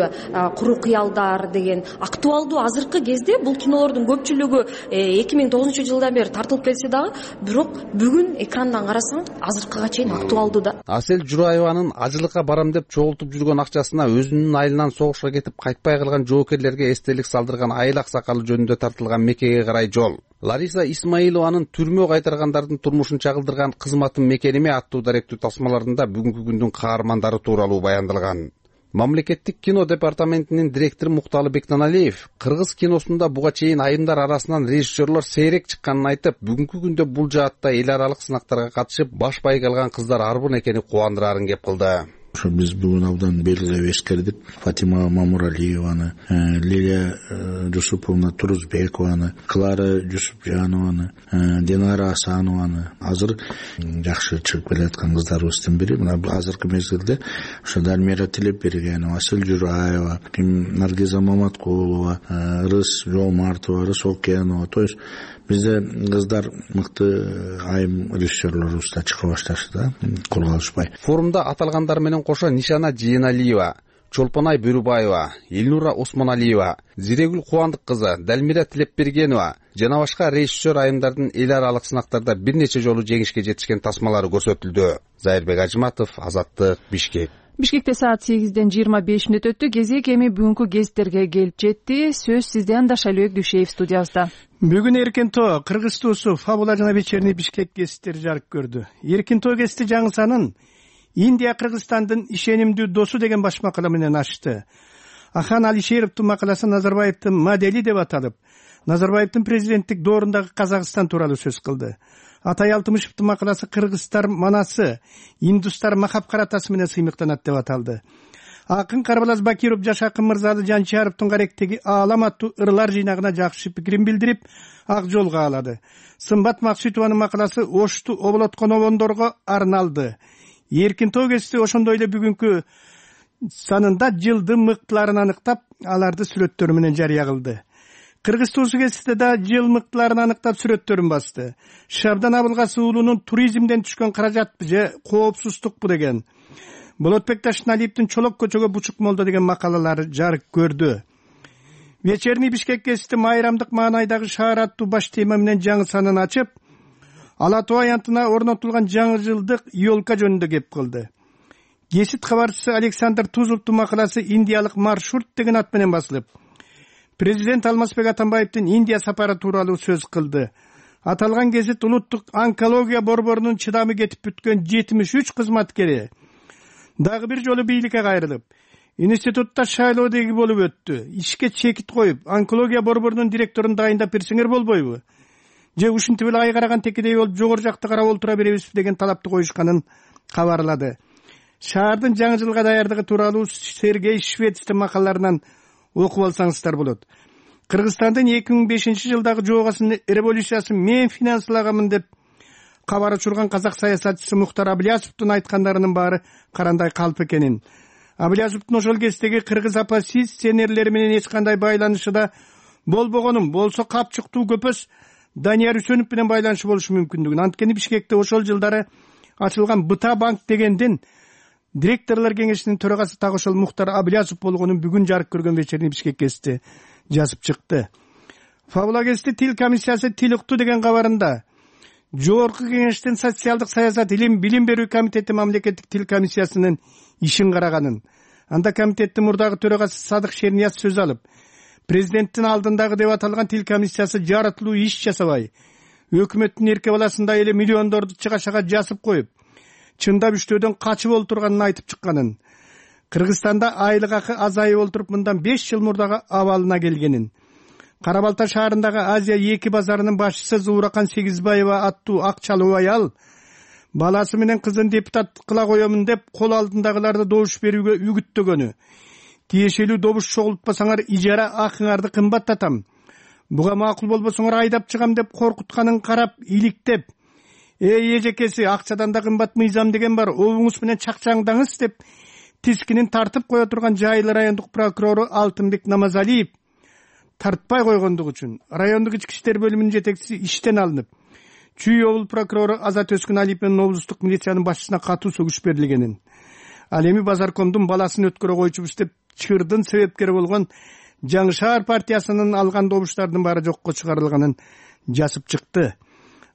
куру кыялдар деген актуалдуу азыркы кезде бул кинолордун көпчүлүгү эки миң тогузунчу жылдан бери тартылып келсе дагы, бирок бүгүн экрандан карасаң азыркыга чейин актуалдуу да.
Асель Жураеванын ажылыкка барам деп чогултуп жүргөн акчасына өзүнүн айылынан согушка кетип кайтпай калган жоокерлерге эстелик салдырган айыл аксакалы жөнүндө тартылган мекеге карай жол. Лариса Исмаилованын түрмө кайтаргандардын турмушун чагылдырган кызматым мекениме аттуу даректүү тасмаларында бүгүнкү күндүн каармандары тууралуу баяндалган. Мамлекеттик кино департаментинин директору Мукталы Бектаналиев кыргыз киносунда буга чейин айымдар арасынан режиссерлор сейрек чыкканын айтып, бүгүнкү күндө бул жаатта эл аралык сынактарга катышып баш байга алган кыздар арбын экени кубандырарын кеп кылды.
ошо биз бүгүн абдан белгилеп эскердик. Фатима Мамуралиеваны, Лилия Жусуповна Турузбекованы, Клара Жусупжанованы, Динара Асанованы, азыр жакшы чыгып келаткан кыздарыбыздын бири. Мына азыркы мезгилде ошо Дальмира Тилепбергенова, Асель Жураева, Наргиза Маматкулова, Рыс Жолмартова, Рыс Окенова. То есть бизде кыздар мыкты айым режиссерлорубуз да чыга башташты да, кол калышпай.
Форумда аталгандар менен кошо Нишана Жийеналиева, Чолпонай Бөрүбаева, Элнура Осмоналиева, Зирегүл Кубандык кызы, Дальмира Тилепбергенова жана башка режиссер айымдардын эл аралык сынактарда бир нече жолу жеңишке жетишкен тасмалары көрсөтүлдү. Зайырбек Ажыматов, Азаттык, Бишкек.
Бишкекте саат сегизден жыйырма беш мүнөт өттү. Кезек эми бүгүнкү гезиттерге келип жетти. Сөз сизде анда, Шалбек Дүйшеев студиябызда.
Бүгүн Эркин Тоо, Кыргыз туусу Фабула жана Вечерний Бишкек гезиттери жарык көрдү. Эркин Тоо гезити жаңы санын Индия Кыргызстандын ишенимдүү досу деген баш макала менен ачты. Ахан Алишеровдун макаласы Назарбаевдин модели деп аталып, Назарбаевдин президенттик доорундагы Казакстан тууралуу сөз кылды. Атай Алтымышевдин макаласы Кыргызстар манасы, индустар махап каратасы менен сыймыктанат деп аталды. Акын Карбалаз Бакиров жаш акын Мырзалы Жанчаровдун каректеги аалам аттуу ырлар жыйнагына жакшы пикирин билдирип, ак жолго алады. Сымбат Максутованын макаласы Ошту оболоткон обондорго арналды. Эркин Тоо гезити ошондой эле бүгүнкү санында жылдын мыктыларын аныктап, аларды сүрөттөрү менен жарыя кылды. Кыргыз туусу гезитте да жыл мыктыларын аныктап сүрөттөрүн басты. Шабдан Абылгасы уулунун туризмден түшкөн каражатпы же коопсуздукпу деген, Болотбек Ташналиевдин Чолок көчөгө бучук молдо деген макалалары жарык көрдү. Вечерний Бишкек гезити майрамдык маанайдагы шаар аттуу баш тема менен жаңы санын ачып, Ала Тоо аянтына орнотулган жаңы жылдык ёлка жөнүндө кеп кылды. Гезит кабарчысы Александр Тузовдун макаласы Индиялык маршрут деген ат менен басылып, президент Алмазбек Атамбаевдин Индия сапары тууралуу сөз кылды. Аталган гезит улуттук онкология борборунун чыдамы кетип бүткөн жетимиш үч кызматкери дагы бир жолу бийликке кайрылып, институтта шайлоо деги болуп өттү. Ишке чекит коюп, онкология борборунун директорун дайындап берсеңер болбойбу? Же ушинтип эле ай караган текедей болуп жогору жакта карап олтура беребизби деген талапты коюшканын кабарлады. Шаардын жаңы жылга даярдыгы тууралуу Сергей Швецтин макалаларынан окуп алсаңыздар болот. Кыргызстандын эки миң бешинчи жылдагы жоогасынын революциясын мен финансылаганмын деп кабар учурган казак саясатчысы Мухтар Аблязовдун айткандарынын баары карандай калп экенин. Аблязовдун ошол кездеги кыргыз оппозиционерлери менен эч кандай байланышы да болбогонун, болсо капчыктуу көпөс Данияр Үсөнов менен байланышы болушу мүмкүндүгүн. Анткени Бишкекте ошол жылдары ачылган Быта банк дегендин директорлор кеңешинин төрагасы так ошол Мухтар Аблязов болгонун бүгүн жарык көргөн Вечерний Бишкек гезити жазып чыкты. Фабула гезити Тил комиссиясы тил укту деген кабарында Жогорку кеңештин социалдык саясат илим билим берүү комитети мамлекеттик тил комиссиясынын ишин караганын, анда комитеттин мурдагы төрагасы Садык Шернияз сөз алып, президенттин алдындагы деп аталган тил комиссиясы жаратылуу иш жасабай, өкмөттүн эрке баласындай эле миллиондорду чыгашага жасып коюп, чындап иштөөдөн качып олтурганын айтып чыкканын, Кыргызстанда айлык акы азайып олтуруп мындан беш жыл мурдагы абалына келгенин, Кара Балта шаарындагы Азия эки базарынын башчысы Зууракан Сегизбаева аттуу акчалуу аял баласы менен кызын депутат кыла коемун деп кол алдындагыларды добуш берүүгө үгүттөгөнү, тиешелүү добуш чогултпасаңар ижара акыңарды кымбаттатам, буга макул болбосоңор айдап чыгам деп коркутканын карап иликтеп, эй эжекеси акчадан да кымбат мыйзам деген бар, обуңуз менен чакчаңдаңыз деп тискинин тартып кое турган Жайылы райондук прокурору Алтынбек Намазалиев тартпай койгондук үчүн райондук ички иштер бөлүмүнүн жетекчиси иштен алынып, Чүй облус прокурору Азат Өскүналиев менен облустук милициянын башчысына катуу сөгүш берилгенин, ал эми Базаркомдун баласын өткөрө койчубуз деп чырдын себепкери болгон Жаңы шаар партиясынын алган добуштардын баары жокко чыгарылганын жазып чыкты.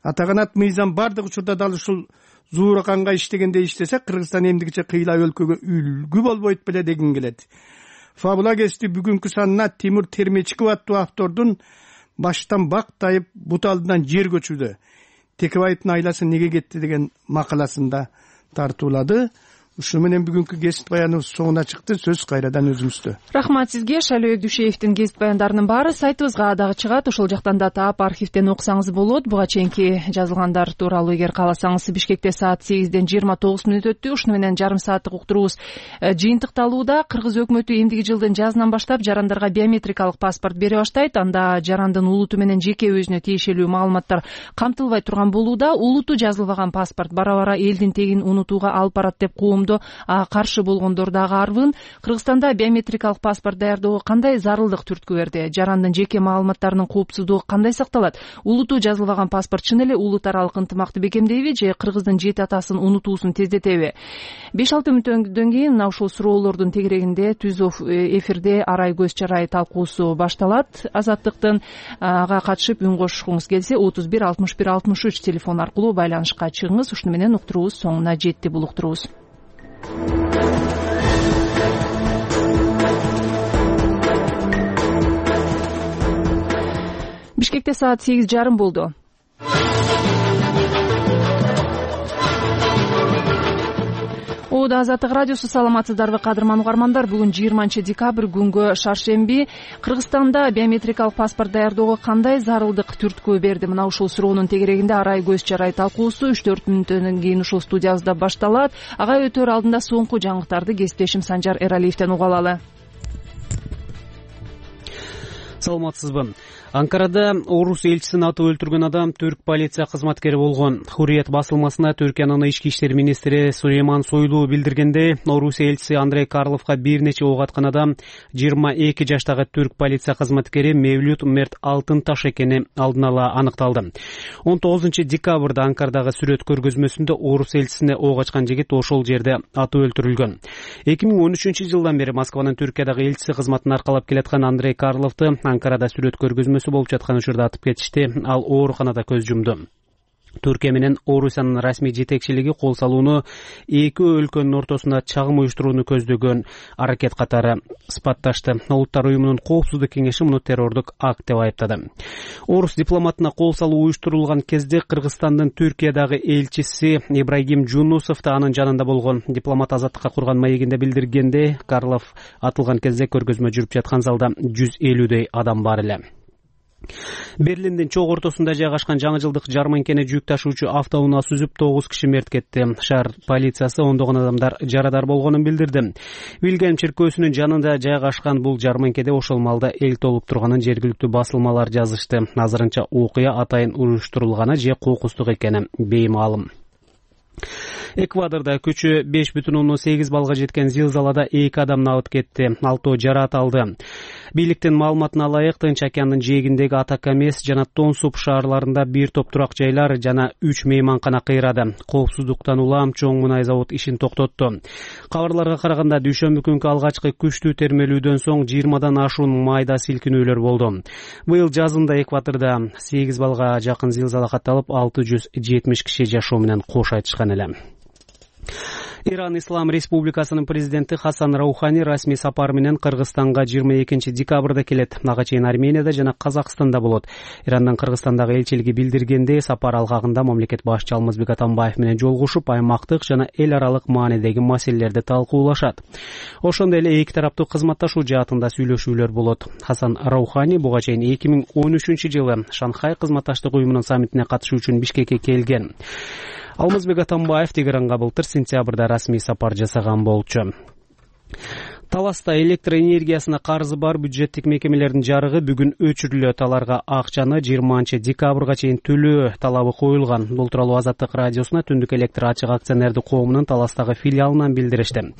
Атаганат мыйзам бардык учурда дал ушул Зуураканга иштегенде иштесе, Кыргызстан эмдигиче кыйла өлкөгө үлгү болбойт беле дегин келет. Фабула гезити бүгүнкү санына Тимур Термечков аттуу автордун баштан бак тайып бут алдынан жер көчүүдө Текебаевдин айласы неге кетти деген макаласында тартуулады. Ушу менен бүгүнкү кесип баяныбыз соңуна чыкты. Сөз кайрадан өзүңүздө.
Рахмат сизге. Шайлоо Дүйшеевдин кесип баяндарынын баары сайтыбызга дагы чыгат. Ошол жактан да таап архивден окусаңыз болот. Буга чейинки жазылгандар тууралуу эгер кааласаңыз. Бишкекте саат сегизден жыйырма тогуз мүнөт өттү. Ушуну менен жарым сааттык уктуруубуз жыйынтыкталууда. Кыргыз өкмөтү эмдиги жылдын жазынан баштап жарандарга биометрикалык паспорт бере баштайт. Анда жарандын улуту менен жеке өзүнө тиешелүү маалыматтар камтылбай турган болууда. Улуту жазылбаган паспорт бара-бара элдин тегин унутууга алып барат деп коомдо каршы болгондор дагы арбын. Кыргызстанда биометрикалык паспорт даярдоого кандай зарылдык түрткү берди? Жарандын жеке маалыматтарынын коопсуздугу кандай сакталат? Улуту жазылбаган паспорт чын эле улут аралык ынтымакты бекемдейби же кыргыздын жети атасын унутуусун тездетеби? беш алты мүнөттөн кийин мына ушул суроолордун тегерегинде түз эфирде арай көз чарай талкуусу башталат. Азаттыктын ага катышып үн кошкуңуз келсе отуз бир алтымыш бир алтымыш үч телефон аркылуу байланышка чыгыңыз. Ушуну менен уктуруубуз соңуна жетти. Бул уктуруубуз Бишкекте саат сегиз жарым болду. Ода Азаттык радиосу, саламатсыздарбы кадырман угармандар. Бүгүн жыйырманчы декабрь күнгө шаршемби. Кыргызстанда биометрикалык паспорт даярдоого кандай зарылдык түрткү берди? Мына ушул суроонун тегерегинде арай көз чарай талкуусу үч төрт мүнөттөн кийин ушул студиябызда башталат. Ага өтөр алдында соңку жаңылыктарды кесиптешим Санжар Эралиевден угуп алалы.
Саламатсызбы? Анкарада орус элчисин атып өлтүргөн адам түрк полиция кызматкери болгон. Хурриет басылмасына Түркиянын ички иштер министри Сулейман Сойлу билдиргендей, орус элчиси Андрей Карловго бир нече ок аткан адам жыйырма эки жаштагы түрк полиция кызматкери Мевлют Мерт Алтынташ экени алдын ала аныкталды. он тогузунчу декабрда Анкарадагы сүрөт көргөзмөсүндө орус элчисине ок ачкан жигит ошол жерде атып өлтүрүлгөн. эки миң он үчүнчү жылдан бери Москванын Түркиядагы элчиси кызматын аркалап келаткан Андрей Карловду Анкарада сүрөт көргөзмөсү болуп жаткан учурда атып кетишти. Ал ооруканада көз жумду. Түркия менен Орусиянын расмий жетекчилиги кол салууну эки өлкөнүн ортосунда чагым уюштурууну көздөгөн аракет катары сыпатташты. Улуттар уюмунун коопсуздук кеңеши муну террордук акт деп айыптады. Орус дипломатына кол салуу уюштурулган кезде Кыргызстандын Түркиядагы элчиси Ибрагим Жунусов да анын жанында болгон. Дипломат Азаттыкка курган маегинде билдиргендей, Карлов атылган кезде көргөзмө жүрүп жаткан залда жүз элүүдөй адам бар эле. Берлиндин чок ортосунда жайгашкан жаңы жылдык жарманкени жүк ташуучу автоунаа сүзүп тогуз киши мерт кетти. Шаар полициясы ондогон адамдар жарадар болгонун билдирди. Вильгельм чиркөөсүнүн жанында жайгашкан бул жарманкеде ошол маалда эл толуп турганын жергиликтүү басылмалар жазышты. Азырынча окуя атайын уюштурулганы же кокустук экени беймаалым. Эквадорда күчү беш бүтүн ондон сегиз балга жеткен зилзалада эки адам набыт кетти, алтоо жараат алды. Бийликтин маалыматына ылайык, Тынч океандын жээгиндеги Атакамес жана Тонсуп шаарларында бир топ турак жайлар жана үч мейманкана кыйрады. Коопсуздуктан улам чоң мунай завод ишин токтотту. Кабарларга караганда дүйшөмбү күнкү алгачкы күчтүү термелүүдөн соң жыйырмадан ашуун майда силкинүүлөр болду. Быйыл жазында Эквадорда сегиз балга жакын зилзала катталып, алты жүз жетимиш киши жашоо менен кош айтышкан эле. Иран Ислам Республикасынын президенти Хасан Раухани расмий сапар менен Кыргызстанга жыйырма экинчи декабрда келет. Ага чейин Арменияда жана Казакстанда болот. Ирандын Кыргызстандагы элчилиги билдиргендей, сапар алгагында мамлекет башчы Алмазбек Атамбаев менен жолугушуп, аймактык жана эл аралык маанидеги маселелерди талкуулашат. Ошондой эле эки тараптуу кызматташуу жаатында сүйлөшүүлөр болот. Хасан Раухани буга чейин эки миң он үчүнчү жылы Шанхай кызматташтык уюмунун саммитине катышуу үчүн Бишкекке келген. Алмазбек Атамбаев Тегеранга былтыр сентябрда расмий сапар жасаган болчу. Таласта электр энергиясына карызы бар бюджеттик мекемелердин жарыгы бүгүн өчүрүлөт. Аларга акчаны жыйырманчы декабрга чейин төлөө талабы коюлган. Бул тууралуу Азаттык радиосуна Түндүк электр ачык акционердик коомунун Таластагы филиалынан билдиришти.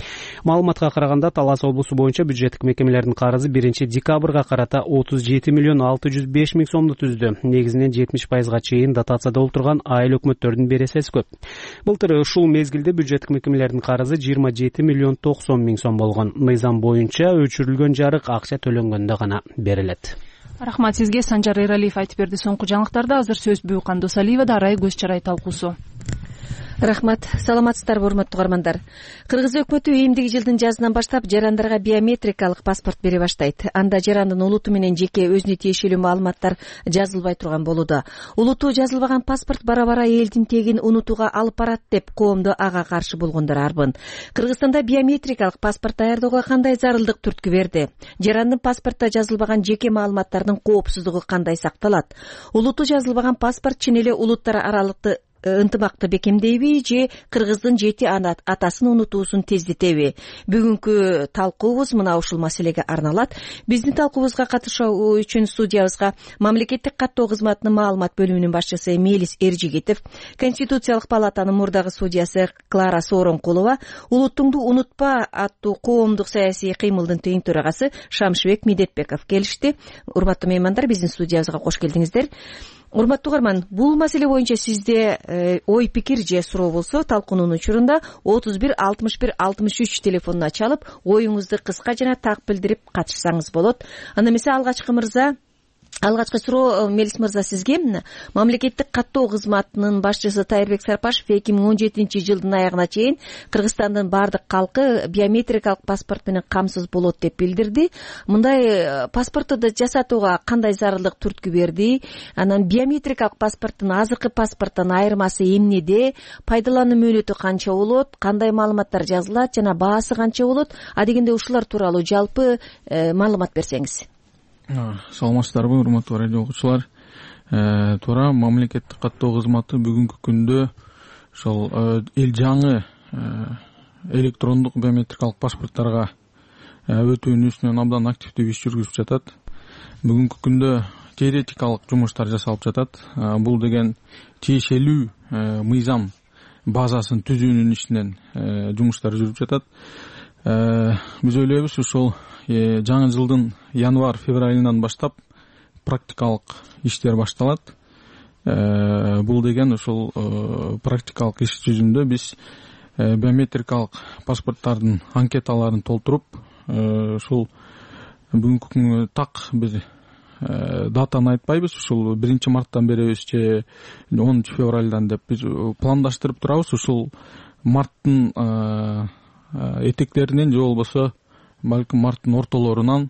Маалыматка караганда, Талас облусу боюнча бюджеттик мекемелердин карызы биринчи декабрга карата отуз жети миллион алты жүз беш миң сомду түздү. Негизинен жетимиш пайызга чейин дотацияда олтурган айыл өкмөттөрдүн бересеси көп. Былтыр ушул мезгилде бюджеттик мекемелердин карызы жыйырма жети миллион токсон миң сом болгон. Мыйзам боюнча өчүрүлгөн жарык акча төлөнгөндө гана берилет.
Рахмат сизге. Санжар Эралиев айтып берди соңку жаңылыктарды. Азыр сөз Бүйкан Досалиевада арай көз чарай талкуусу.
Рахмат. Саламатсыздарбы, урматтуу угармандар? Кыргыз өкмөтү эмдиги жылдын жазынан баштап жарандарга биометрикалык паспорт бере баштайт. Анда жарандын улуту менен жеке өзүнө тиешелүү маалыматтар жазылбай турган болууда. Улуту жазылбаган паспорт бара-бара элдин тегин унутууга алып барат деп коомдо ага каршы болгондор арбын. Кыргызстанда биометрикалык паспорт даярдоого кандай зарылдык түрткү берди? Жарандын паспортто жазылбаган жеке маалыматтардын коопсуздугу кандай сакталат? Улуту жазылбаган паспорт чын эле улуттар аралыкты ынтымакты бекемдейби же кыргыздын жети атасын унутуусун тездетеби? Бүгүнкү талкуубуз мына ушул маселеге арналат. Биздин талкуубузга катышуу үчүн студиябызга мамлекеттик каттоо кызматынын маалымат бөлүмүнүн башчысы Мелис Эржигитов, Конституциялык палатанын мурдагы судьясы Клара Сооронкулова, Улуттуңду унутпа аттуу коомдук саясий кыймылдын тең төрагасы Шамшыбек Медетбеков келишти. Урматтуу меймандар, биздин студиябызга кош келдиңиздер. Урматтуу угарман, бул маселе боюнча сизде э, ой пикир же суроо болсо талкуунун учурунда отуз бир алтымыш бир алтымыш үч телефонуна чалып, оюңузду кыска жана так билдирип катышсаңыз болот. Анда эмесе алгачкы мырза Алгачкы суроо Мелис мырза сизге. Мамлекеттик каттоо кызматынын башчысы Тайырбек Сарпашев эки миң он жетинчи жылдын аягына чейин Кыргызстандын баардык калкы биометрикалык паспорт менен камсыз болот деп билдирди. Мындай паспортду жасатууга кандай зарылдык түрткү берди? Анан биометрикалык паспорттун азыркы паспорттон айырмасы эмнеде? Пайдалануу мөөнөтү канча болот? Кандай маалыматтар жазылат жана баасы канча болот? Адегенде ушулар тууралуу жалпы маалымат берсеңиз.
Саламатсыздарбы, урматтуу радио окуучулар? Туура, мамлекеттик каттоо кызматы бүгүнкү күндө ошол эл жаңы электрондук биометрикалык паспорттарга өтүүнүн үстүнөн абдан активдүү иш жүргүзүп жатат. Бүгүнкү күндө теоретикалык жумуштар жасалып жатат. Бул деген тиешелүү мыйзам базасын түзүүнүн ишинен жумуштар жүрүп жатат. Биз ойлойбуз, ушул жаңы жылдын январь-февраль айынан баштап практикалык иштер башталат. Бул деген ушул практикалык иш жүзүндө биз биометрикалык паспорттардын анкеталарын толтуруп, ушул бүгүнкү күнгө так бир датаны айтпайбыз, ушул биринчи марттан беребиз же онунчу февралдан деп биз пландаштырып турабыз. Ушул марттын этектеринен же болбосо балким марттын ортолорунан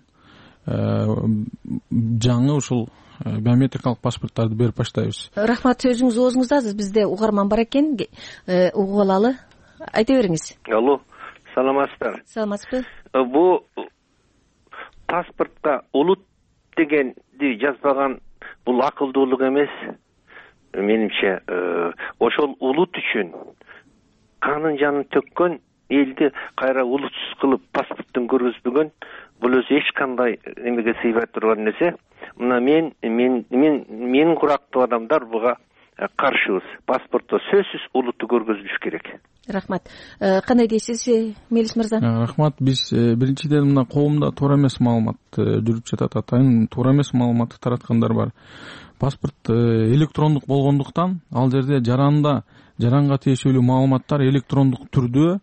жаңы ушул биометрикалык паспорттарды берип баштайбыз.
Рахмат, сөзүңүз оозуңузда. Бизде угарман бар экен, угуп алалы. Айта бериңиз.
Алло, саламатсыздар?
Саламатсызбы?
Бул паспортко улут дегенди жазбаган бул акылдуулук эмес. Менимче, ошол улут үчүн канын жанын төккөн элди кайра улутсуз кылып паспорттун көргөзбөгөн, бул өзү эч кандай эмеге сыйбай турган нерсе. Мына мен мен мен менин курактуу адамдар буга каршыбыз. Паспортто сөзсүз улутту көргөзүлүш керек.
Рахмат. Кандай дейсиз, Мелис мырза?
Рахмат. Биз биринчиден мына коомдо туура эмес маалымат жүрүп жатат. Атайын туура эмес маалыматты тараткандар бар. Паспорт электрондук болгондуктан ал жерде жаранда жаранга тиешелүү маалыматтар электрондук түрдө,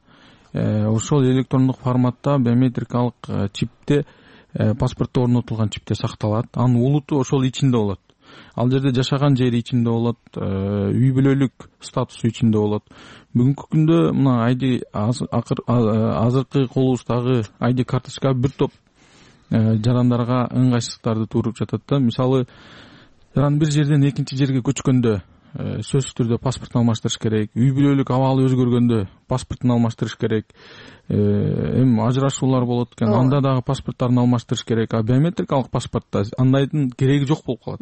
ошол электрондук форматта биометрикалык чипте, паспортто орнотулган чипте сакталат. Анын улуту ошол ичинде болот. Ал жерде жашаган жери ичинде болот, үй бүлөлүк статусу ичинде болот. Бүгүнкү күндө мына айди азыркы колубуздагы айди карточка бир топ жарандарга ыңгайсыздыктарды тууруп жатат да. Мисалы, жаран бир жерден экинчи жерге көчкөндө сөзсүз түрдө паспортун алмаштырыш керек. Үй бүлөлүк абалы өзгөргөндө паспортун алмаштырыш керек. Эми ажырашуулар болот экен, анда дагы паспорттарын алмаштырыш керек. А биометрикалык паспортто андайдын кереги жок болуп калат.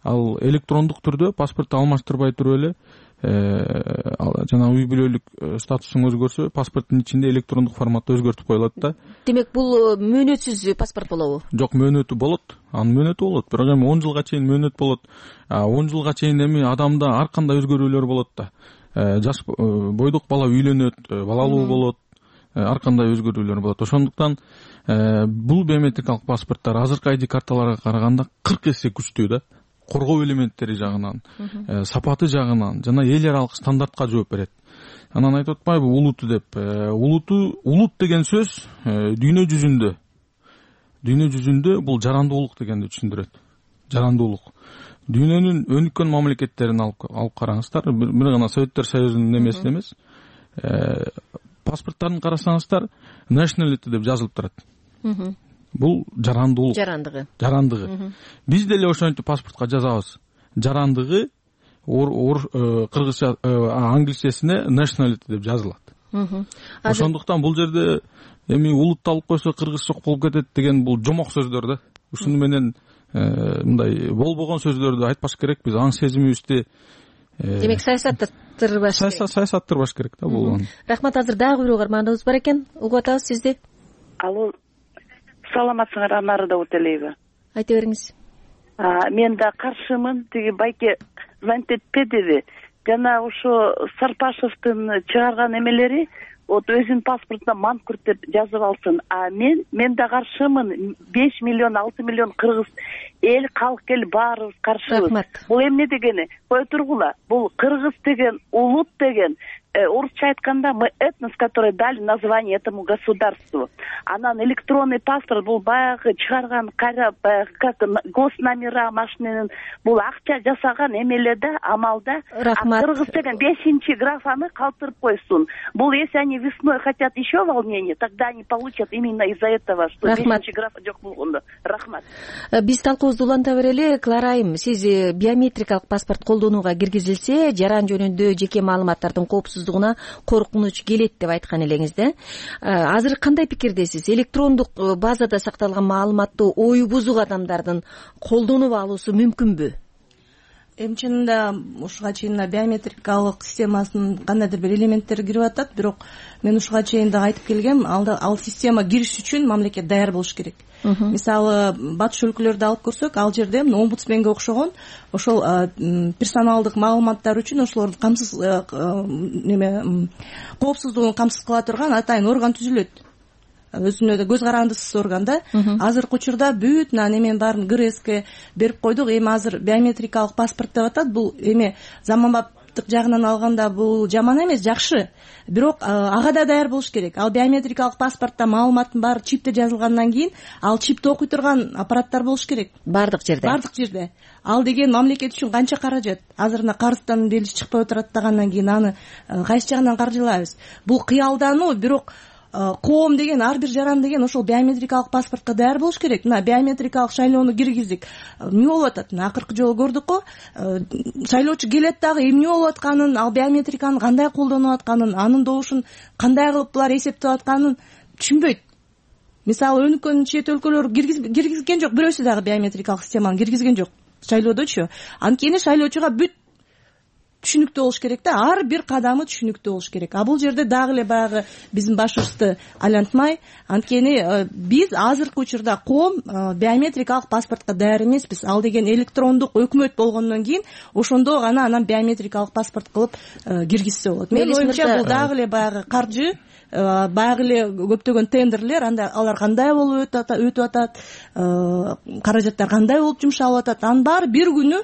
Ал электрондук түрдө паспортту алмаштырбай туруп эле жана үй бүлөлүк статусуң өзгөрсө, паспорттун ичинде электрондук форматта өзгөртүп коюлат да.
Демек, бул мөөнөтсүз паспорт болобу?
Жок, мөөнөтү болот. Анын мөөнөтү болот. Бирок эми он жылга чейин мөөнөт болот. он жылга чейин эми адамда ар кандай өзгөрүүлөр болот да. Жаш бойдук бала үйлөнөт, балалуу болот, ар кандай өзгөрүүлөр болот. Ошондуктан бул биометрикалык паспорттар азыркы айди карталарга караганда кырк эсе күчтүү да. Коргоо элементтери жагынан, сапаты жагынан жана эл аралык стандартка жооп берет. Анан айтып атпайбы улуту деп. Улуту, улут деген сөз дүйнө жүзүндө, дүйнө жүзүндө бул жарандуулук дегенди түшүндүрөт. жарандуулук. Дүйнөнүн өнүккөн мамлекеттерин алып алып караңыздар, бир гана Советтер Союзунун немесин эмес, паспорттарын карасаңыздар, nationality деп жазылып турат. Бул жарандуулук.
Жарандыгы.
Жарандыгы. Биз деле ошентип паспортко жазабыз. Жарандыгы кыргызча, англисчесине nationality деп жазылат. Ошондуктан бул жерде эми улутты алып койсо кыргыз жок болуп кетет деген бул жомок сөздөр да. Ушуну менен мындай болбогон сөздөрдү айтпаш керек. Биз аң сезимибизди
демек саясаттырбаш
керек. Саясаттырбаш керек да бул.
Рахмат. Азыр дагы бир угарманыбыз бар экен. Угуп атабыз сизди.
Алло. Саламатсыңар, Анары Дауталиева.
Айта бериңиз.
Мен да каршымын. Тиги байке звонить этпедиби? Жана ошо Сарпашевдин чыгарган эмелери вот өзүнүн паспортуна манкурт деп жазып алсын. А мен мен да каршымын. беш миллион, алты миллион кыргыз эл калк эл баарыбыз каршыбыз. Бул эмне дегени? Кое тургула. Бул кыргыз деген улут деген, орусча айтканда мы этнос, который дали название этому государству. Анан электронный паспорт бул баягы чыгарган кара как госномера машиненин бул акча жасаган эмеле да, амалда. Кыргыз деген бешинчи графаны калтырып койсун. Бул если они весной хотят еще волнение, тогда они получат именно из-за этого, что бешинчи графа жок болгондо. Рахмат.
Биз талкуубузду уланта берели. Клара айым, сиз биометрикалык паспорт колдонууга киргизилсе, жаран жөнүндө жеке маалыматтардын коопсуздугуна коркунуч келет деп айткан элеңиз да. Азыр кандай пикирдесиз? Электрондук базада сакталган маалыматты ою бузук адамдардын колдонуп алуусу мүмкүнбү?
Эми чынында ушуга чейин биометрикалык системасынын кандайдыр бир элементтери кирип атат, бирок мен ушуга чейин да айтып келгем, ал система кириш үчүн мамлекет даяр болуш керек. Мисалы, батыш өлкөлөрдү алып көрсөк, ал жерде омбудсменге окшогон ошол персоналдык маалыматтар үчүн ошолорду камсыз неме коопсуздугун камсыз кыла турган атайын орган түзүлөт. Өзүнө да көз карандысыз орган да. Азыркы учурда бүт неменин баарын ГРСке берип койдук. Эми азыр биометрикалык паспорт деп атат. Бул эми заманбаптык жагынан алганда бул жаман эмес, жакшы. Бирок ага да даяр болуш керек. Ал биометрикалык паспортто маалыматтын баары чипте жазылгандан кийин ал чипти окуй турган аппараттар болуш керек.
Бардык жерде.
Бардык жерде. Ал деген мамлекет үчүн канча каражат. Азырына карыздан делиш чыкпай отурат дегенден кийин аны кайсы жагынан каржылайбыз? Бул кыялдануу, бирок коом деген, ар бир жаран деген ошол биометрикалык паспортко даяр болуш керек. Мына биометрикалык шайлоону киргиздик. Эмне болуп атат? Акыркы жолу көрдүк го, шайлоочу келет дагы эмне болуп атканын, ал биометриканы кандай колдонуп атканын, анын добушун кандай кылып булар эсептеп атканын түшүнбөйт. Мисалы, өнүккөн чет өлкөлөр киргизген жок, бирөөсү дагы биометрикалык системаны киргизген жок шайлоодочу. Анткени шайлоочуга бүт түшүнүктүү болуш керек да, ар бир кадамы түшүнүктүү болуш керек. А бул жерде дагы эле баягы биздин башыбызды айлантмай, анткени биз азыркы учурда коом биометрикалык паспортко даяр эмеспиз. Ал деген электрондук өкмөт болгондон кийин ошондо гана анан биометрикалык паспорт кылып киргизсе болот. Менин оюмча бул дагы эле баягы каржы, баягы эле көптөгөн тендерлер, анда алар кандай болуп өтүп атат, каражаттар кандай болуп жумшалып атат, анын баары бир күнү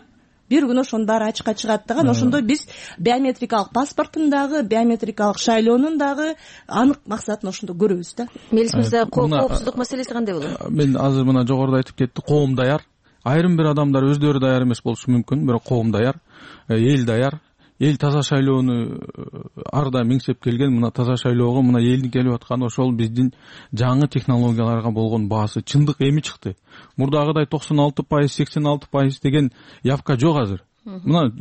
бир күнү ошонун баары ачыкка чыгат дагы. Ошондо биз биометрикалык паспорттун дагы, биометрикалык шайлоонун дагы анык максатын ошондо көрөбүз да.
Мелис мырза, коопсуздук маселеси кандай болот?
Мен азыр мына жогоруда айтып кетти, коом даяр. Айрым бир адамдар өздөрү даяр эмес болушу мүмкүн, бирок коом даяр, эл даяр. Эл таза шайлоону ар да миңсеп келген. Мына таза шайлоого мына элдин келип атканы ошол биздин жаңы технологияларга болгон баасы. Чындык эми чыкты. Мурдагыдай токсон алты пайыз, сексен алты пайыз деген явка жок азыр. Мына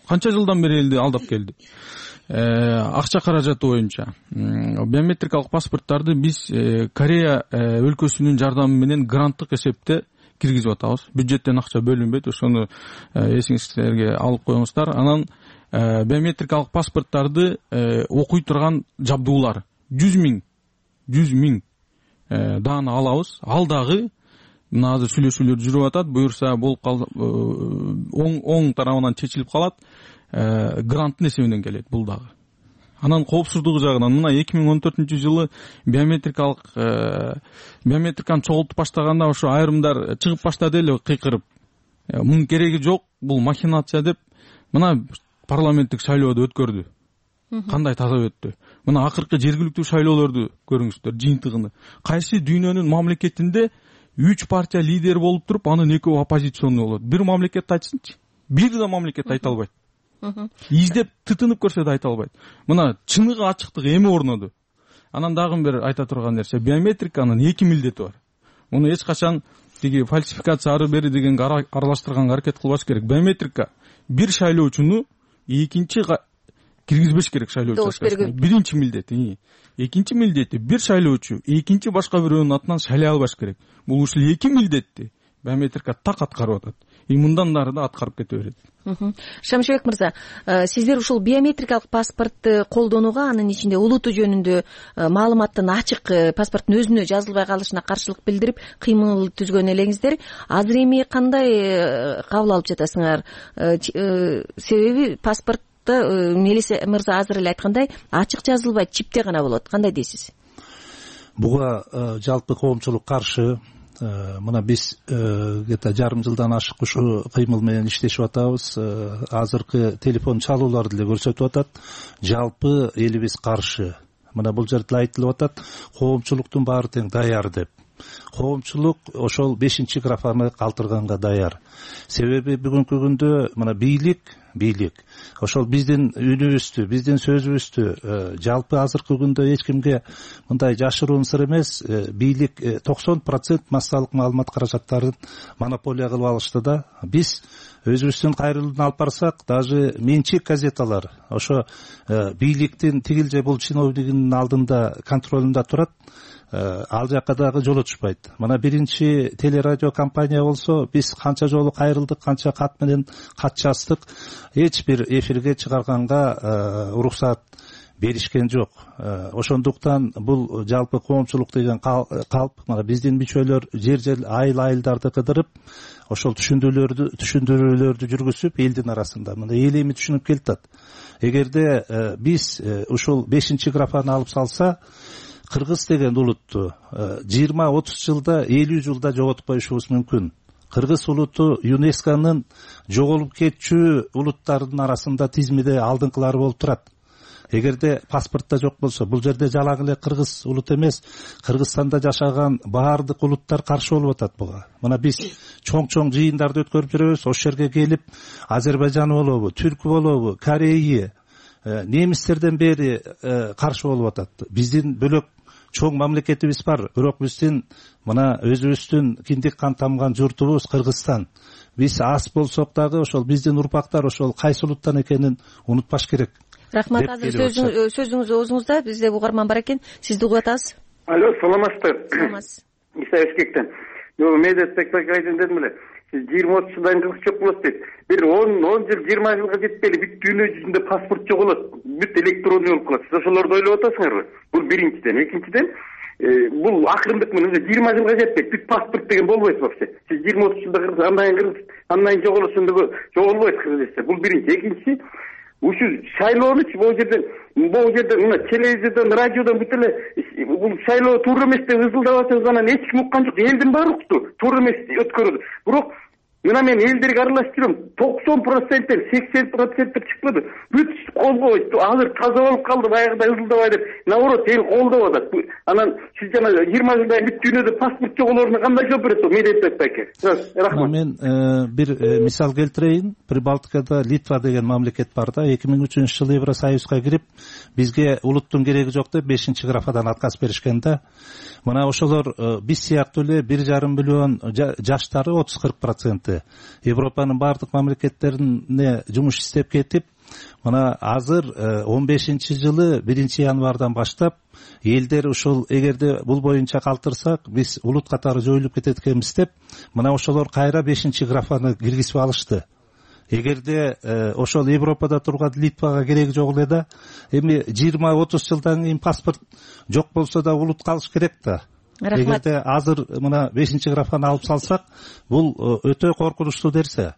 канча жылдан бери элди алдап келди. Акча каражаты боюнча биометрикалык паспорттарды биз Корея өлкөсүнүн жардамы менен гранттык эсепте киргизип атабыз. Бюджеттен акча бөлүнбөйт. Ошону эсиңизге алып коюңуздар. Анан биометрикалык паспорттарды окуй турган жабдуулар жүз миң жүз миң даана алабыз. Ал дагы мына азыр сүйлөшүүлөр жүрүп атат. Буюрса болуп калса оң оң тарабынан чечилип калат. Гранттын эсебинен келет бул дагы. Анан коопсуздугу жагынан мына эки миң он төртүнчү жылы биометрикалык биометриканы чогултуп баштаганда ошо айрымдар чыгып баштады эле кыйкырып. Мунун кереги жок, бул махинация деп. Мына парламенттик шайлоодо өткөрдү. Кандай таза өттү. Мына акыркы жергиликтүү шайлоолорду көрүңүздөр, жыйынтыгын. Кайсы дүйнөнүн мамлекетинде үч партия лидери болуп туруп анын экөө оппозиционный болот. Бир мамлекетти айтсынчы. Бир да мамлекет айта албайт. Издеп тытынып көрсө да айта албайт. Мына чыныгы ачыктык эми орноду. Анан дагы бир айта турган нерсе, биометриканын эки милдети бар. Муну эч качан тиги фальсификация ары бери дегенге аралаштырганга аракет кылбаш керек. Биометрика бир шайлоочуну экинчи киргизбеш керек шайлоо учаскасына. Биринчи милдети. Экинчи милдети бир шайлоочу экинчи башка бирөөнүн атынан шайлай албаш керек. Бул ушул эки милдетти биометрика так аткарып атат. И мындан нары да аткарып кете берет.
Шамшыбек мырза, сиздер ушул биометрикалык паспортты колдонууга, анын ичинде улуту жөнүндө маалыматтын ачык паспорттун өзүнө жазылбай калышына каршылык билдирип кыймыл түзгөн элеңиздер. Азыр эми кандай кабыл алып жатасыңар? Себеби паспорт Мелис мырза азыр эле айткандай ачык жазылбайт, чипте гана болот. Кандай дейсиз?
Буга жалпы коомчулук каршы. Мына биз где-то жарым жылдан ашык ушу кыймыл менен иштешип атабыз. Азыркы телефон чалууларды деле көрсөтүп атат. Жалпы элибиз каршы. Мына бул жерде айтылып атат, коомчулуктун баары тең даяр деп. Коомчулук ошол бешинчи графаны калтырганга даяр. Себеби бүгүнкү күндө мына бийлик, бийлик ошол биздин үнүбүздү, биздин сөзүбүздү жалпы азыркы күндө эч кимге мындай жашыруун сыр эмес, бийлик токсон процент массалык маалымат каражаттарын монополия кылып алышты да. Биз өзүбүздүн кайрылууну алып барсак, даже менчик газеталар ошо бийликтин тигил же бул чиновнигинин алдында контролунда турат. Ал жакка дагы жолотушпайт. Мына биринчи телерадио компания болсо, биз канча жолу кайрылдык, канча кат менен кат жаздык, эч бир эфирге чыгарганга уруксат беришкен жок. Ошондуктан бул жалпы коомчулук деген калп, мына биздин мүчөлөр жер жер айыл айылдарды кыдырып, ошол түшүндүрүүлөрдү түшүндүрүүлөрдү жүргүзүп элдин арасында мына эл эми түшүнүп келатат. Эгерде биз ушул бешинчи графаны алып салса, кыргыз деген улутту жыйырма отуз жылда, элүү жылда жоготуп коюшубуз мүмкүн. Кыргыз улуту ЮНЕСКОнун жоголуп кетчү улуттардын арасында тизмеде алдыңкылары болуп турат. Эгерде паспортто жок болсо, бул жерде жалаң эле кыргыз улут эмес, Кыргызстанда жашаган баардык улуттар каршы болуп атат буга. Мына биз чоң-чоң жыйындарды өткөрүп жүрөбүз, ошол жерге келип Азербайжан болобу, түркү болобу, Корея, немистерден бери каршы болуп атат. Биздин бөлөк чоң мамлекетибиз бар, бирок биздин мына өзүбүздүн киндик кан тамган журтубуз Кыргызстан. Биз аз болсок дагы ошол биздин урпактар ошол кайсы улуттан экенин унутпаш керек.
Рахмат. Азыр сөзүңүз оозуңузда, бизде угарман бар экен, сизди угуп атабыз.
Алло, саламатсызбы?
Саламатсыз.
Иса Бишкектен. Жогу медиа спектакль айтын дедим эле. Сиз жыйырма отуз жылдан кыргыз жок болот дейт. Бир он он жыл, жыйырма жылга жетпейли бүт дүйнө жүзүндө паспорт жоголот, бүт электронный болуп калат. Сиз ошолорду ойлоп атасыңарбы? Бул биринчиден. Экинчиден, бул акырындык менен уже жыйырма жылга жетпейт, бүт паспорт деген болбойт вообще. Сиз жыйырма отуз жылда кыргыз, андан кийин кыргыз, андан кийин жоголосун деп жоголбойт кыргыз эсе. Бул биринчи. Экинчиси, ушул шайлоонучу бул жерден бул жерден мына телевизордон, радиодон бүт эле бул шайлоо туура эмес деп ызылдап атабыз, анан эч ким уккан жок. Элдин баары укту, туура эмес өткөрүүдө. Бирок мына мен элдерге аралашып жүрөм, токсон проценттен сексен проценттеп чыкпады. Бүт колбой, азыр таза болуп калды, баягыдай ызылдабай деп. Наоборот, эл колдоп атат. Анан сиз жана жыйырма жылдан бүт дүйнөдө паспорт жоголоруна кандай жооп бересиз? Медиа байке. Рахмат.
Мен бир мисал келтирейин. Прибалтикада Литва деген мамлекет бар да, эки миң үчүнчү жылы Евросоюзга кирип, бизге улуттун кереги жок деп бешинчи графадан отказ беришкен да. Мына ошолор биз сыяктуу эле бир жарым миллион жаштары отуз кырк проценти Европанын бардык мамлекеттерине жумуш иштеп кетип, мына азыр он бешинчи жылы биринчи январдан баштап элдер ушул эгерде бул боюнча калтырсак, биз улут катары жоюлуп кетет экенбиз деп, мына ошолор кайра бешинчи графаны киргизип алышты. Эгерде ошол Европада турган Литвага кереги жок эле да, эми жыйырма отуз жылдан кийин паспорт жок болсо да улут калыш керек да. Эгерде азыр мына бешинчи графаны алып салсак, бул өтө коркунучтуу нерсе.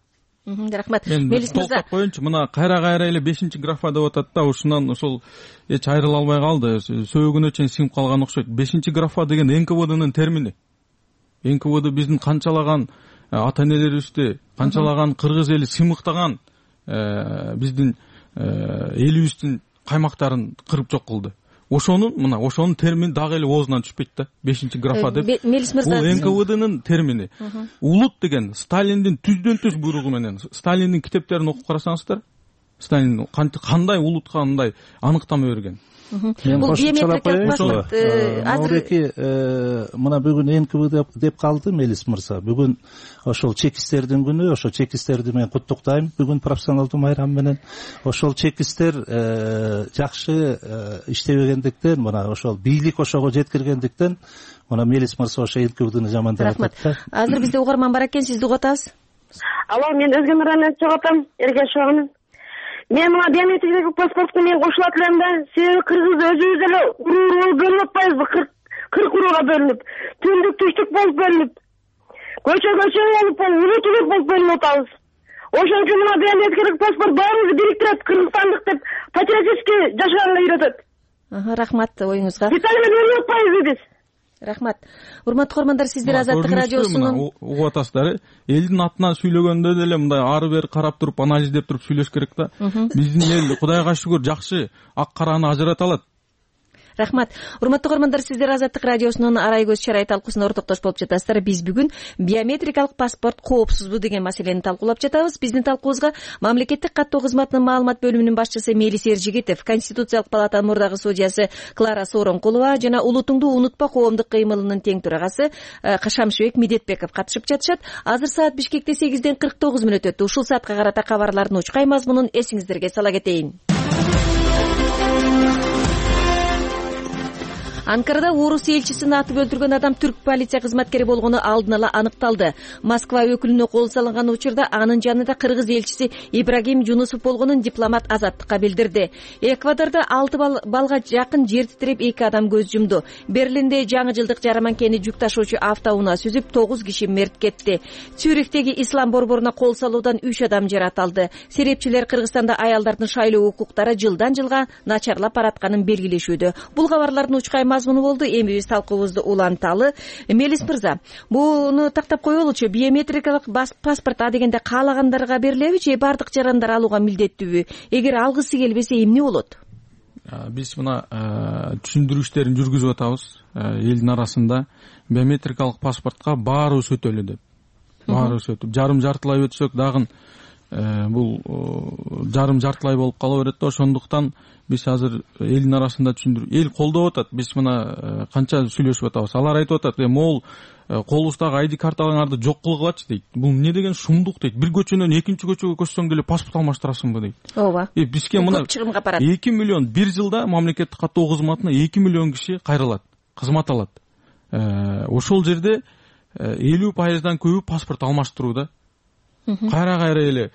Рахмат.
Мелис мырза, токтоп коеюнчу, мына кайра-кайра эле бешинчи графа деп атат да, ошонан ошол эч айрыла албай калды, сөөгүнө чейин сиңип калган окшойт. бешинчи графа деген эн ка вэ днын термини. эн ка вэ д биздин канчалаган ата энелерибизди, канчалаган кыргыз эли сыймыктаган биздин элибиздин каймактарын кырып жок кылды. ошонун мына ошонун термини дагы эле оозунан түшпөйт да. Бешинчи графа деп.
Мелис мырза,
бул эн ка вэ днын термини. Улут деген Сталиндин түздөн түз буйругу менен. Сталиндин китептерин окуп карасаңыздар, Сталин кандай улутка мындай аныктама берген.
Бул биометрикалык паспорт
азыр мына бүгүн эн ка вэ деп калды Мелис мырза. Бүгүн ошол чекистердин күнү, ошол чекистерди мен куттуктайм бүгүн профессионалдуу майрам менен. Ошол чекистер жакшы иштебегендиктен, мына ошол бийлик ошого жеткиргендиктен мына Мелис мырза ошо эн ка вэ дни жамандап атат.
Рахмат. Азыр бизде угарман бар экен, сизди угуп атабыз.
Алло, мен Өзгөмүрдөн чыгып атам, Эргешовмун. Мен мына биометрикалык паспортко мен кошулат элем да. Себеби кыргыз өзүбүз эле уруу бөлүнүп атпайбызбы? кырк урууга бөлүнүп, түндүк түштүк болуп бөлүнүп, көчө көчө болуп, улут улут болуп бөлүнүп атабыз. Ошон үчүн мына биометрикалык паспорт баарыбызды бириктирет, кыргызстандык деп патриотически жашаганга үйрөтөт.
Рахмат оюңузга.
Детали менен өлүп атпайбызбы биз?
Рахмат. Урматтуу көрөрмандар, сиздер Азаттык радиосунун
угуп атасыздар. Элдин атынан сүйлөгөндө деле мындай ары бери карап туруп, анализдеп туруп сүйлөш керек да. Биздин эл Кудайга шүгүр жакшы ак караны ажырата алат.
Рахмат. Урматтуу көрөрмандар, сиздер Азаттык радиосунун арай көз чарай талкуусуна ортоктош болуп жатасыздар. Биз бүгүн биометрикалык паспорт коопсузбу деген маселени талкуулап жатабыз. Биздин талкуубузга мамлекеттик каттоо кызматынын маалымат бөлүмүнүн башчысы Мелис Эржигитов, Конституциялык палатанын мурдагы судьясы Клара Сооронкулова жана Улутуңду унутпа коомдук кыймылынын тең төрагасы Шамшыбек Медетбеков катышып жатышат. Азыр саат Бишкекте сегизден кырк тогуз мүнөт өттү. Ушул саатка карата кабарлардын учкай мазмунун эсиңиздерге сала кетейин. Анкарада орус элчисин атып өлтүргөн адам түрк полиция кызматкери болгону алдын ала аныкталды. Москва өкүлүнө кол салынган учурда анын жанында кыргыз элчиси Ибрагим Жунусов болгонун дипломат Азаттыкка билдирди. Эквадордо алты балга жакын жер титиреп эки адам көз жумду. Берлинде жаңы жылдык жарманкени жүк ташуучу автоунаа сүзүп тогуз киши мерт кетти. Цюрихтеги ислам борборуна кол салуудан үч адам жаратылды. Серепчилер Кыргызстанда аялдардын шайлоо укуктары жылдан жылга начарлап баратканын белгилешүүдө. Бул кабарлардын учкай мазмуну болду. Эми биз талкуубузду уланталы. Мелис мырза, буну тактап коелучу. Биометрикалык паспорт а дегенде каалагандарга берилеби же бардык жарандар алууга милдеттүүбү? Эгер алгысы келбесе эмне болот?
Биз мына түшүндүрүү иштерин жүргүзүп атабыз элдин арасында. Биометрикалык паспортко баарыбыз өтөлү деп. Баарыбыз өтүп, жарым жартылай өтсөк дагы бул жарым жартылай болуп кала берет да. Ошондуктан биз азыр элдин арасында түшүндүрүү, эл колдоп атат. Биз мына канча сүйлөшүп атабыз. Алар айтып атат, могул колубуздагы ай ди карталарыңарды жок кылгылачы дейт. Бул эмне деген шумдук дейт. Бир көчөнөн экинчи көчөгө көчсөң деле паспорт алмаштырасыңбы дейт.
Ооба.
Бизге мына эки миллион бир жылда мамлекеттик каттоо кызматына эки миллион киши кайрылат, кызмат алат. Ошол жерде элүү пайыздан көбү паспорт алмаштырууда. Кайра кайра эле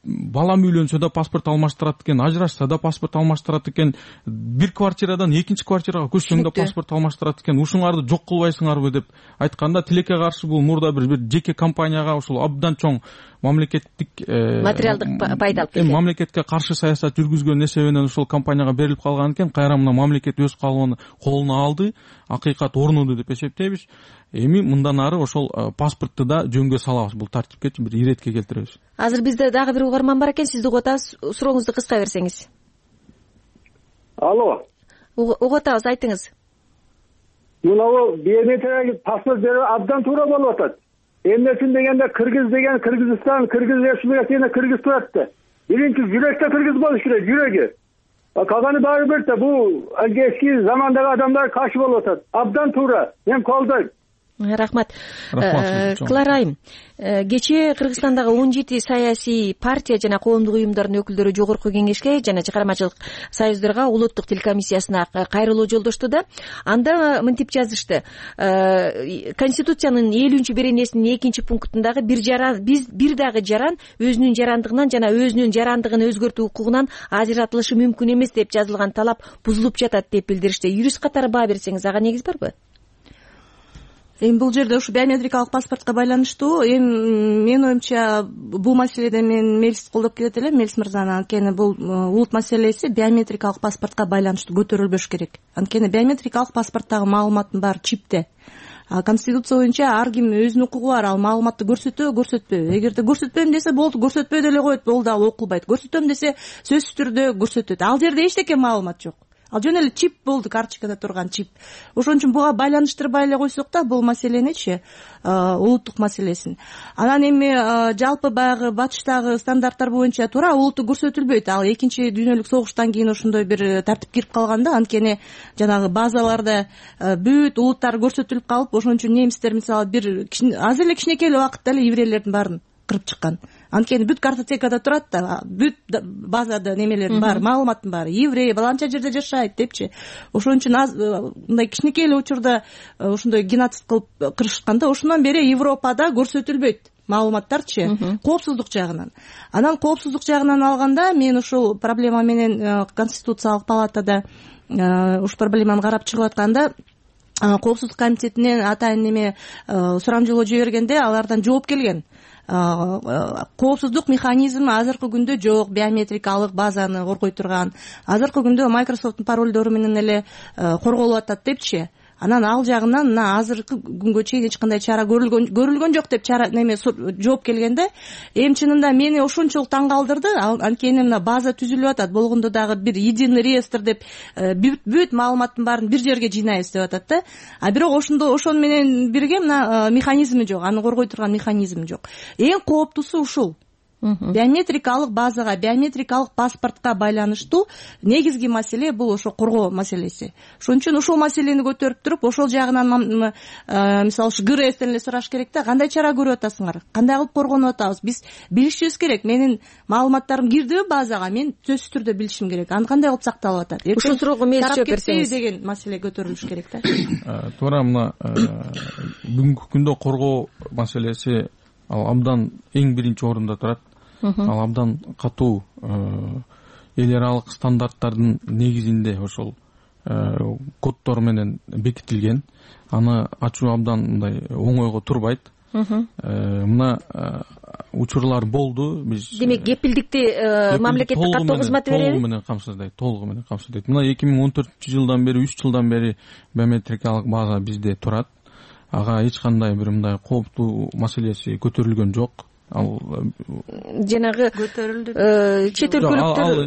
балам үйлөнсө да паспорт алмаштырат экен, ажырашса да паспорт алмаштырат экен, бир квартирадан экинчи квартирага көчсөң да паспорт алмаштырат экен. Ушуңарды жок кылбайсыңарбы деп айтканда, тилекке каршы бул мурда бир бир жеке компанияга ушул абдан чоң мамлекеттик
материалдык пайда алып келген,
мамлекетке каршы саясат жүргүзгөн эсебинен ушул компанияга берилип калган экен. Кайра мына мамлекет өз колуна алды, акыйкат орнуду деп эсептейбиз. Эми мындан ары ошол паспортты да жөнгө салабыз, бул тартипке бир иретке келтиребиз.
Азыр бизде дагы бир угарман бар экен, сизди угуп атабыз. Сурооңузду кыска берсеңиз.
Алло.
Угуп атабыз, айтыңыз.
Мына биометрикалык паспорт берүү абдан туура болуп атат. Эмнесин дегенде кыргыз деген Кыргызстан, Кыргыз Республикасында кыргыз турат да. Биринчи жүрөктө кыргыз болуш керек, жүрөгү. Калганы баары бир да, бул эски замандагы адамдар каршы болуп атат. Абдан туура. Мен колдойм.
Рахмат. Кларайым, кечээ Кыргызстандагы он жети саясий партия жана коомдук уюмдардын өкүлдөрү жогорку кеңешке жана чыгармачылык союздорго улуттук тил комиссиясына кайрылуу жолдошту да. Анда мынтип жазышты: Конституциянын элүүнчү беренесинин экинчи пунктундагы бир жаран, биз бир дагы жаран өзүнүн жарандыгынан жана өзүнүн жарандыгын өзгөртүү укугунан ажыратылышы мүмкүн эмес деп жазылган талап бузулуп жатат деп билдиришти. Юрист катары баа берсеңиз, ага негиз барбы?
Эми бул жерде ушу биометрикалык паспортко байланыштуу. Эми менин оюмча бул маселеде мен Мелисти колдоп келет элем, Мелис мырзаны. Анткени бул улут маселеси биометрикалык паспортко байланыштуу көтөрүлбөш керек. Анткени биометрикалык паспорттагы маалыматтын баары чипте. Конституция боюнча ар ким өзүнүн укугу бар, ал маалыматты көрсөтөбү, көрсөтпөйбү. Эгерде көрсөтпөйм десе болду, көрсөтпөй деле коет, ол дагы окулбайт. Көрсөтөм десе сөзсүз түрдө көрсөтөт. Ал жерде эчтеке маалымат жок. ал жөн эле чип болду, карточкада турган чип. Ошон үчүн буга байланыштырбай эле койсок да бул маселеничи, улуттук маселесин. Анан эми жалпы баягы батыштагы стандарттар боюнча туура улутту көрсөтүлбөйт. Ал экинчи дүйнөлүк согуштан кийин ошондой бир тартип кирип калган да, анткени жанагы базаларда бүт улуттар көрсөтүлүп калып, ошон үчүн немистер мисалы бир азыр эле кичинекей эле убакытта эле еврейлердин баарын кырып чыккан. Анткени бүт картотекада турат да, бүт базада немелердин баары, маалыматтын баары, еврей баланча жерде жашайт депчи. Ошон үчүн мындай кичинекей эле учурда ошондой геноцид кылып кырышкан да. Ошондон бери Европада көрсөтүлбөйт маалыматтарчы, коопсуздук жагынан. Анан коопсуздук жагынан алганда мен ушул проблема менен Конституциялык палатада ушул проблеманы карап чыгып атканда, коопсуздук комитетинен атайын неме сурамжылоо жибергенде алардан жооп келген. Коопсуздук механизми азыркы күндө жок, биометрикалык базаны коргой турган. Азыркы күндө Microsoft'тун паролдору менен эле корголуп атат депчи. Анан ал жагынан мына азыркы күнгө чейин эч кандай чара көрүлгөн көрүлгөн жок деп чара неме жооп келгенде, эми чынында мени ошончолук таң калтырды. Анткени мына база түзүлүп атат, болгондо дагы бир единый реестр деп бүт маалыматтын баарын бир жерге жыйнайбыз деп атат да. А бирок ошондо ошон менен бирге мына механизми жок, аны коргой турган механизм жок. Эң кооптуусу ушул. Биометрикалык базага, биометрикалык паспортко байланыштуу негизги маселе бул ошо коргоо маселеси. Ошон үчүн ушул маселени көтөрүп туруп, ошол жагынан мисалы ушу ГРСтен эле сураш керек да, кандай чара көрүп атасыңар, кандай кылып коргонуп атабыз, биз билишибиз керек. Менин маалыматтарым кирдиби базага, мен сөзсүз түрдө билишим керек, аны кандай кылып сакталып атат.
Ушул суроого мээс жооп берсеңиз
деген маселе көтөрүлүш керек да.
Туура мына бүгүнкү күндө коргоо маселеси ал абдан эң биринчи орунда турат. Ал абдан катуу эл аралык стандарттардын негизинде ошол коддор менен бекитилген. Аны ачуу абдан мындай оңойго турбайт. Мына учурлар болду. Биз
демек кепилдикти мамлекеттик каттоо кызматы береби?
Толугу менен камсыздайт, толугу менен камсыздайт. Мына эки миң он төртүнчү жылдан бери, үч жылдан бери биометрикалык база бизде турат. Ага эч кандай бир мындай кооптуу маселеси көтөрүлгөн жок. Ал
жанагы
көтөрүлдү.
Чет өлкөлүктөр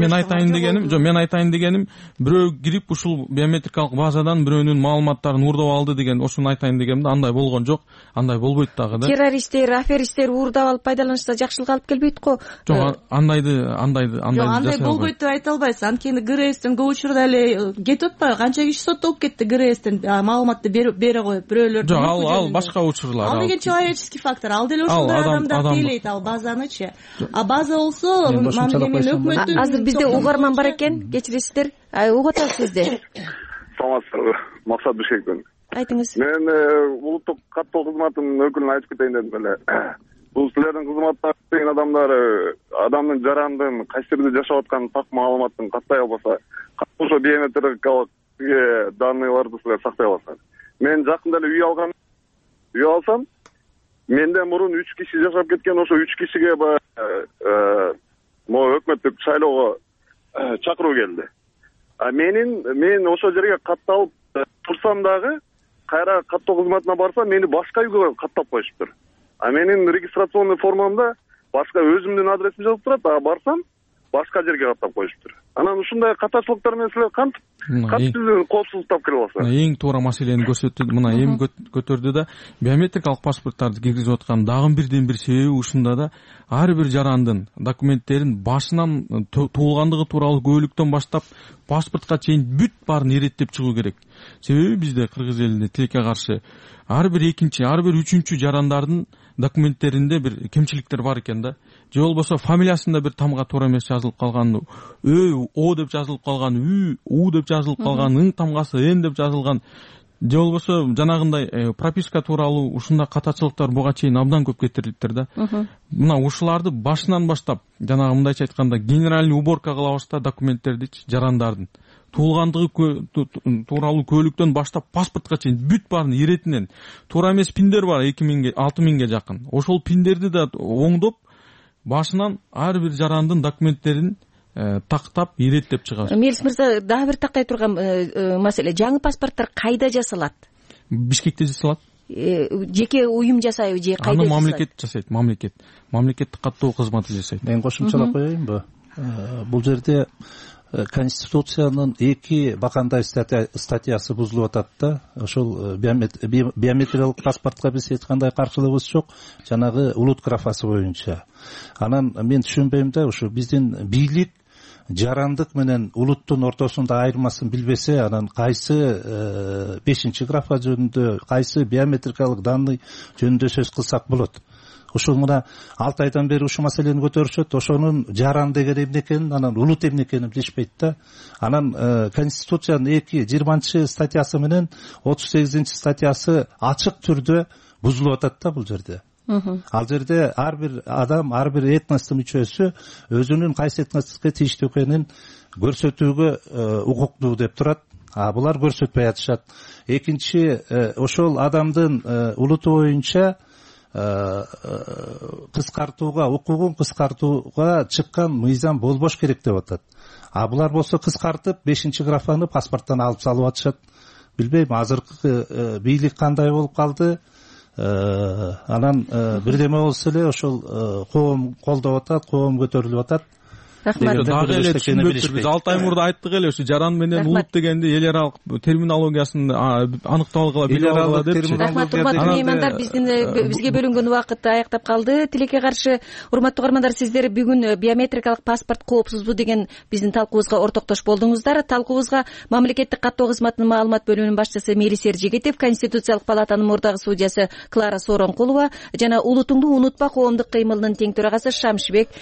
мен айтайын дегеним, жок, мен айтайын дегеним, бирөө кирип ушул биометрикалык базадан бирөөнүн маалыматтарын уурдап алды деген, ошону айтайын дегенде андай болгон жок, андай болбойт дагы да.
Террористтер, аферисттер уурдап алып пайдаланышса жакшылыкка алып келбейт го.
Жок, андайды, андайды, андайды.
Жок, андай болбойт деп айта албайсыз. Анткени ГРСтен көп учурда эле кетип атпайбы? Канча киши соттолуп кетти ГРСтен маалыматты бере коюп, бирөөлөр.
Жок, ал ал башка учурлар.
Ал деген человеческий фактор. Ал деле ошондой адамдар тейлейт ал базанычы. А база болсо өкмөттүн.
Азыр бизде угарман бар экен, кечиресиздер. Угуп атабыз бизде.
Саламатсыздарбы? Максат Бишкекпен.
Айтыңыз.
Мен улуттук каттоо кызматынын өкүлүнө айтып кетейин дедим эле. Бул силердин кызматта деген адамдар адамдын жарандын кайсы жерде жашап атканын так маалыматын каттай албаса, ошо биометрикалык данныйларды силер сактай аласыңар. Мен жакында эле үй алгам. Үй алсам, менден мурун үч киши жашап кеткен, ошо үч кишиге могу өкмөттүк шайлоого чакыруу келди. А менин мен ошол жерге катталып турсам дагы, кайра каттоо кызматына барсам, мени башка үйгө каттап коюшуптур. А менин регистрационный формамда башка өзүмдүн адресим жазылып турат, а барсам башка жерге каттап коюшуптур. Анан ушундай катачылыктар менен силер кантип кантип коопсуздук тапкыра аласыңар?
Эң туура маселени көрсөттү. Мына эми көтөрдү да, биометрикалык паспорттарды киргизип аткан дагы бирден бир себеби ушунда да, ар бир жарандын документтерин башынан туулгандыгы тууралуу күбөлүктөн баштап паспортко чейин бүт баарын иреттеп чыгуу керек. Себеби бизде кыргыз элинде тилекке каршы ар бир экинчи, ар бир үчүнчү жарандардын документтеринде бир кемчиликтер бар экен да. Же болбосо фамилиясында бир тамга туура эмес жазылып калган, Ö, O деп жазылып калган, Ü, U деп жазылып калган, ың тамгасы Н деп жазылган. Же болбосо жанагындай прописка тууралуу ушундай катачылыктар буга чейин абдан көп кетирилиптир да. Мына ушуларды башынан баштап, жанагы мындайча айтканда, генеральный уборка кылабыз да документтердичи, жарандардын туулгандыгы тууралуу күбөлүктөн баштап паспортко чейин бүт баарын иретинен туура эмес пиндер бар эки миңге алты миңге жакын. Ошол пиндерди да оңдоп башынан ар бир жарандын документтерин тактап иреттеп чыгабыз.
Мелис мырза, дагы бир тактай турган маселе, жаңы паспорттор кайда жасалат?
Бишкекте жасалат.
Жеке уюм жасайбы же кайда жасайт?
Аны мамлекет жасайт, мамлекет. Мамлекеттик каттоо кызматы жасайт.
Мен кошумчалап коеюнбу? Бул жерде конституциянын эки бакандай статьясы бузулуп атат да. Ошол биометриялык паспортко биз эч кандай каршылыгыбыз жок, жанагы улут графасы боюнча. Анан мен түшүнбөйм да, ушу биздин бийлик жарандык менен улуттун ортосунда айырмасын билбесе, анан кайсы бешинчи графа жөнүндө, кайсы биометрикалык данный жөнүндө сөз кылсак болот. Ушул мына алты айдан бери ушул маселени көтөрүшөт. Ошонун жаран деген эмне экенин, анан улут эмне экенин билишпейт да. Анан конституциянын эки жыйырманчы статьясы менен отуз сегизинчи статьясы ачык түрдө бузулуп атат да бул жерде. Ал жерде ар бир адам, ар бир этностун мүчөсү өзүнүн кайсы этностикке тийиштүү экенин көрсөтүүгө укуктуу деп турат. А булар көрсөтпөй атышат. Экинчи, ошол адамдын улуту боюнча кыскартууга, укугун кыскартууга чыккан мыйзам болбош керек деп атат. А булар болсо кыскартып бешинчи графаны паспорттон алып салып атышат. Билбейм, азыркы бийлик кандай болуп калды. Анан бирдеме болсо эле ошол коом колдоп атат, коом көтөрүлүп атат.
Рахмат. Дагы эле түшүнбөптүр. Биз алты ай мурда айттык эле, ушу жаран менен улут дегенди эл аралык терминологиясын аныктап алгыла, билип алгыла депчи.
Рахмат, урматтуу меймандар, биздин бизге бөлүнгөн убакыт аяктап калды. Тилекке каршы, урматтуу угармандар, сиздер бүгүн биометрикалык паспорт коопсузбу деген биздин талкуубузга ортоктош болдуңуздар. Талкуубузга мамлекеттик каттоо кызматынын маалымат бөлүмүнүн башчысы Мирисер Жегетев, Конституциялык палатанын мурдагы судьясы Клара Сооронкулова жана Улутуңду унутпа коомдук кыймылынын тең төрагасы Шамшыбек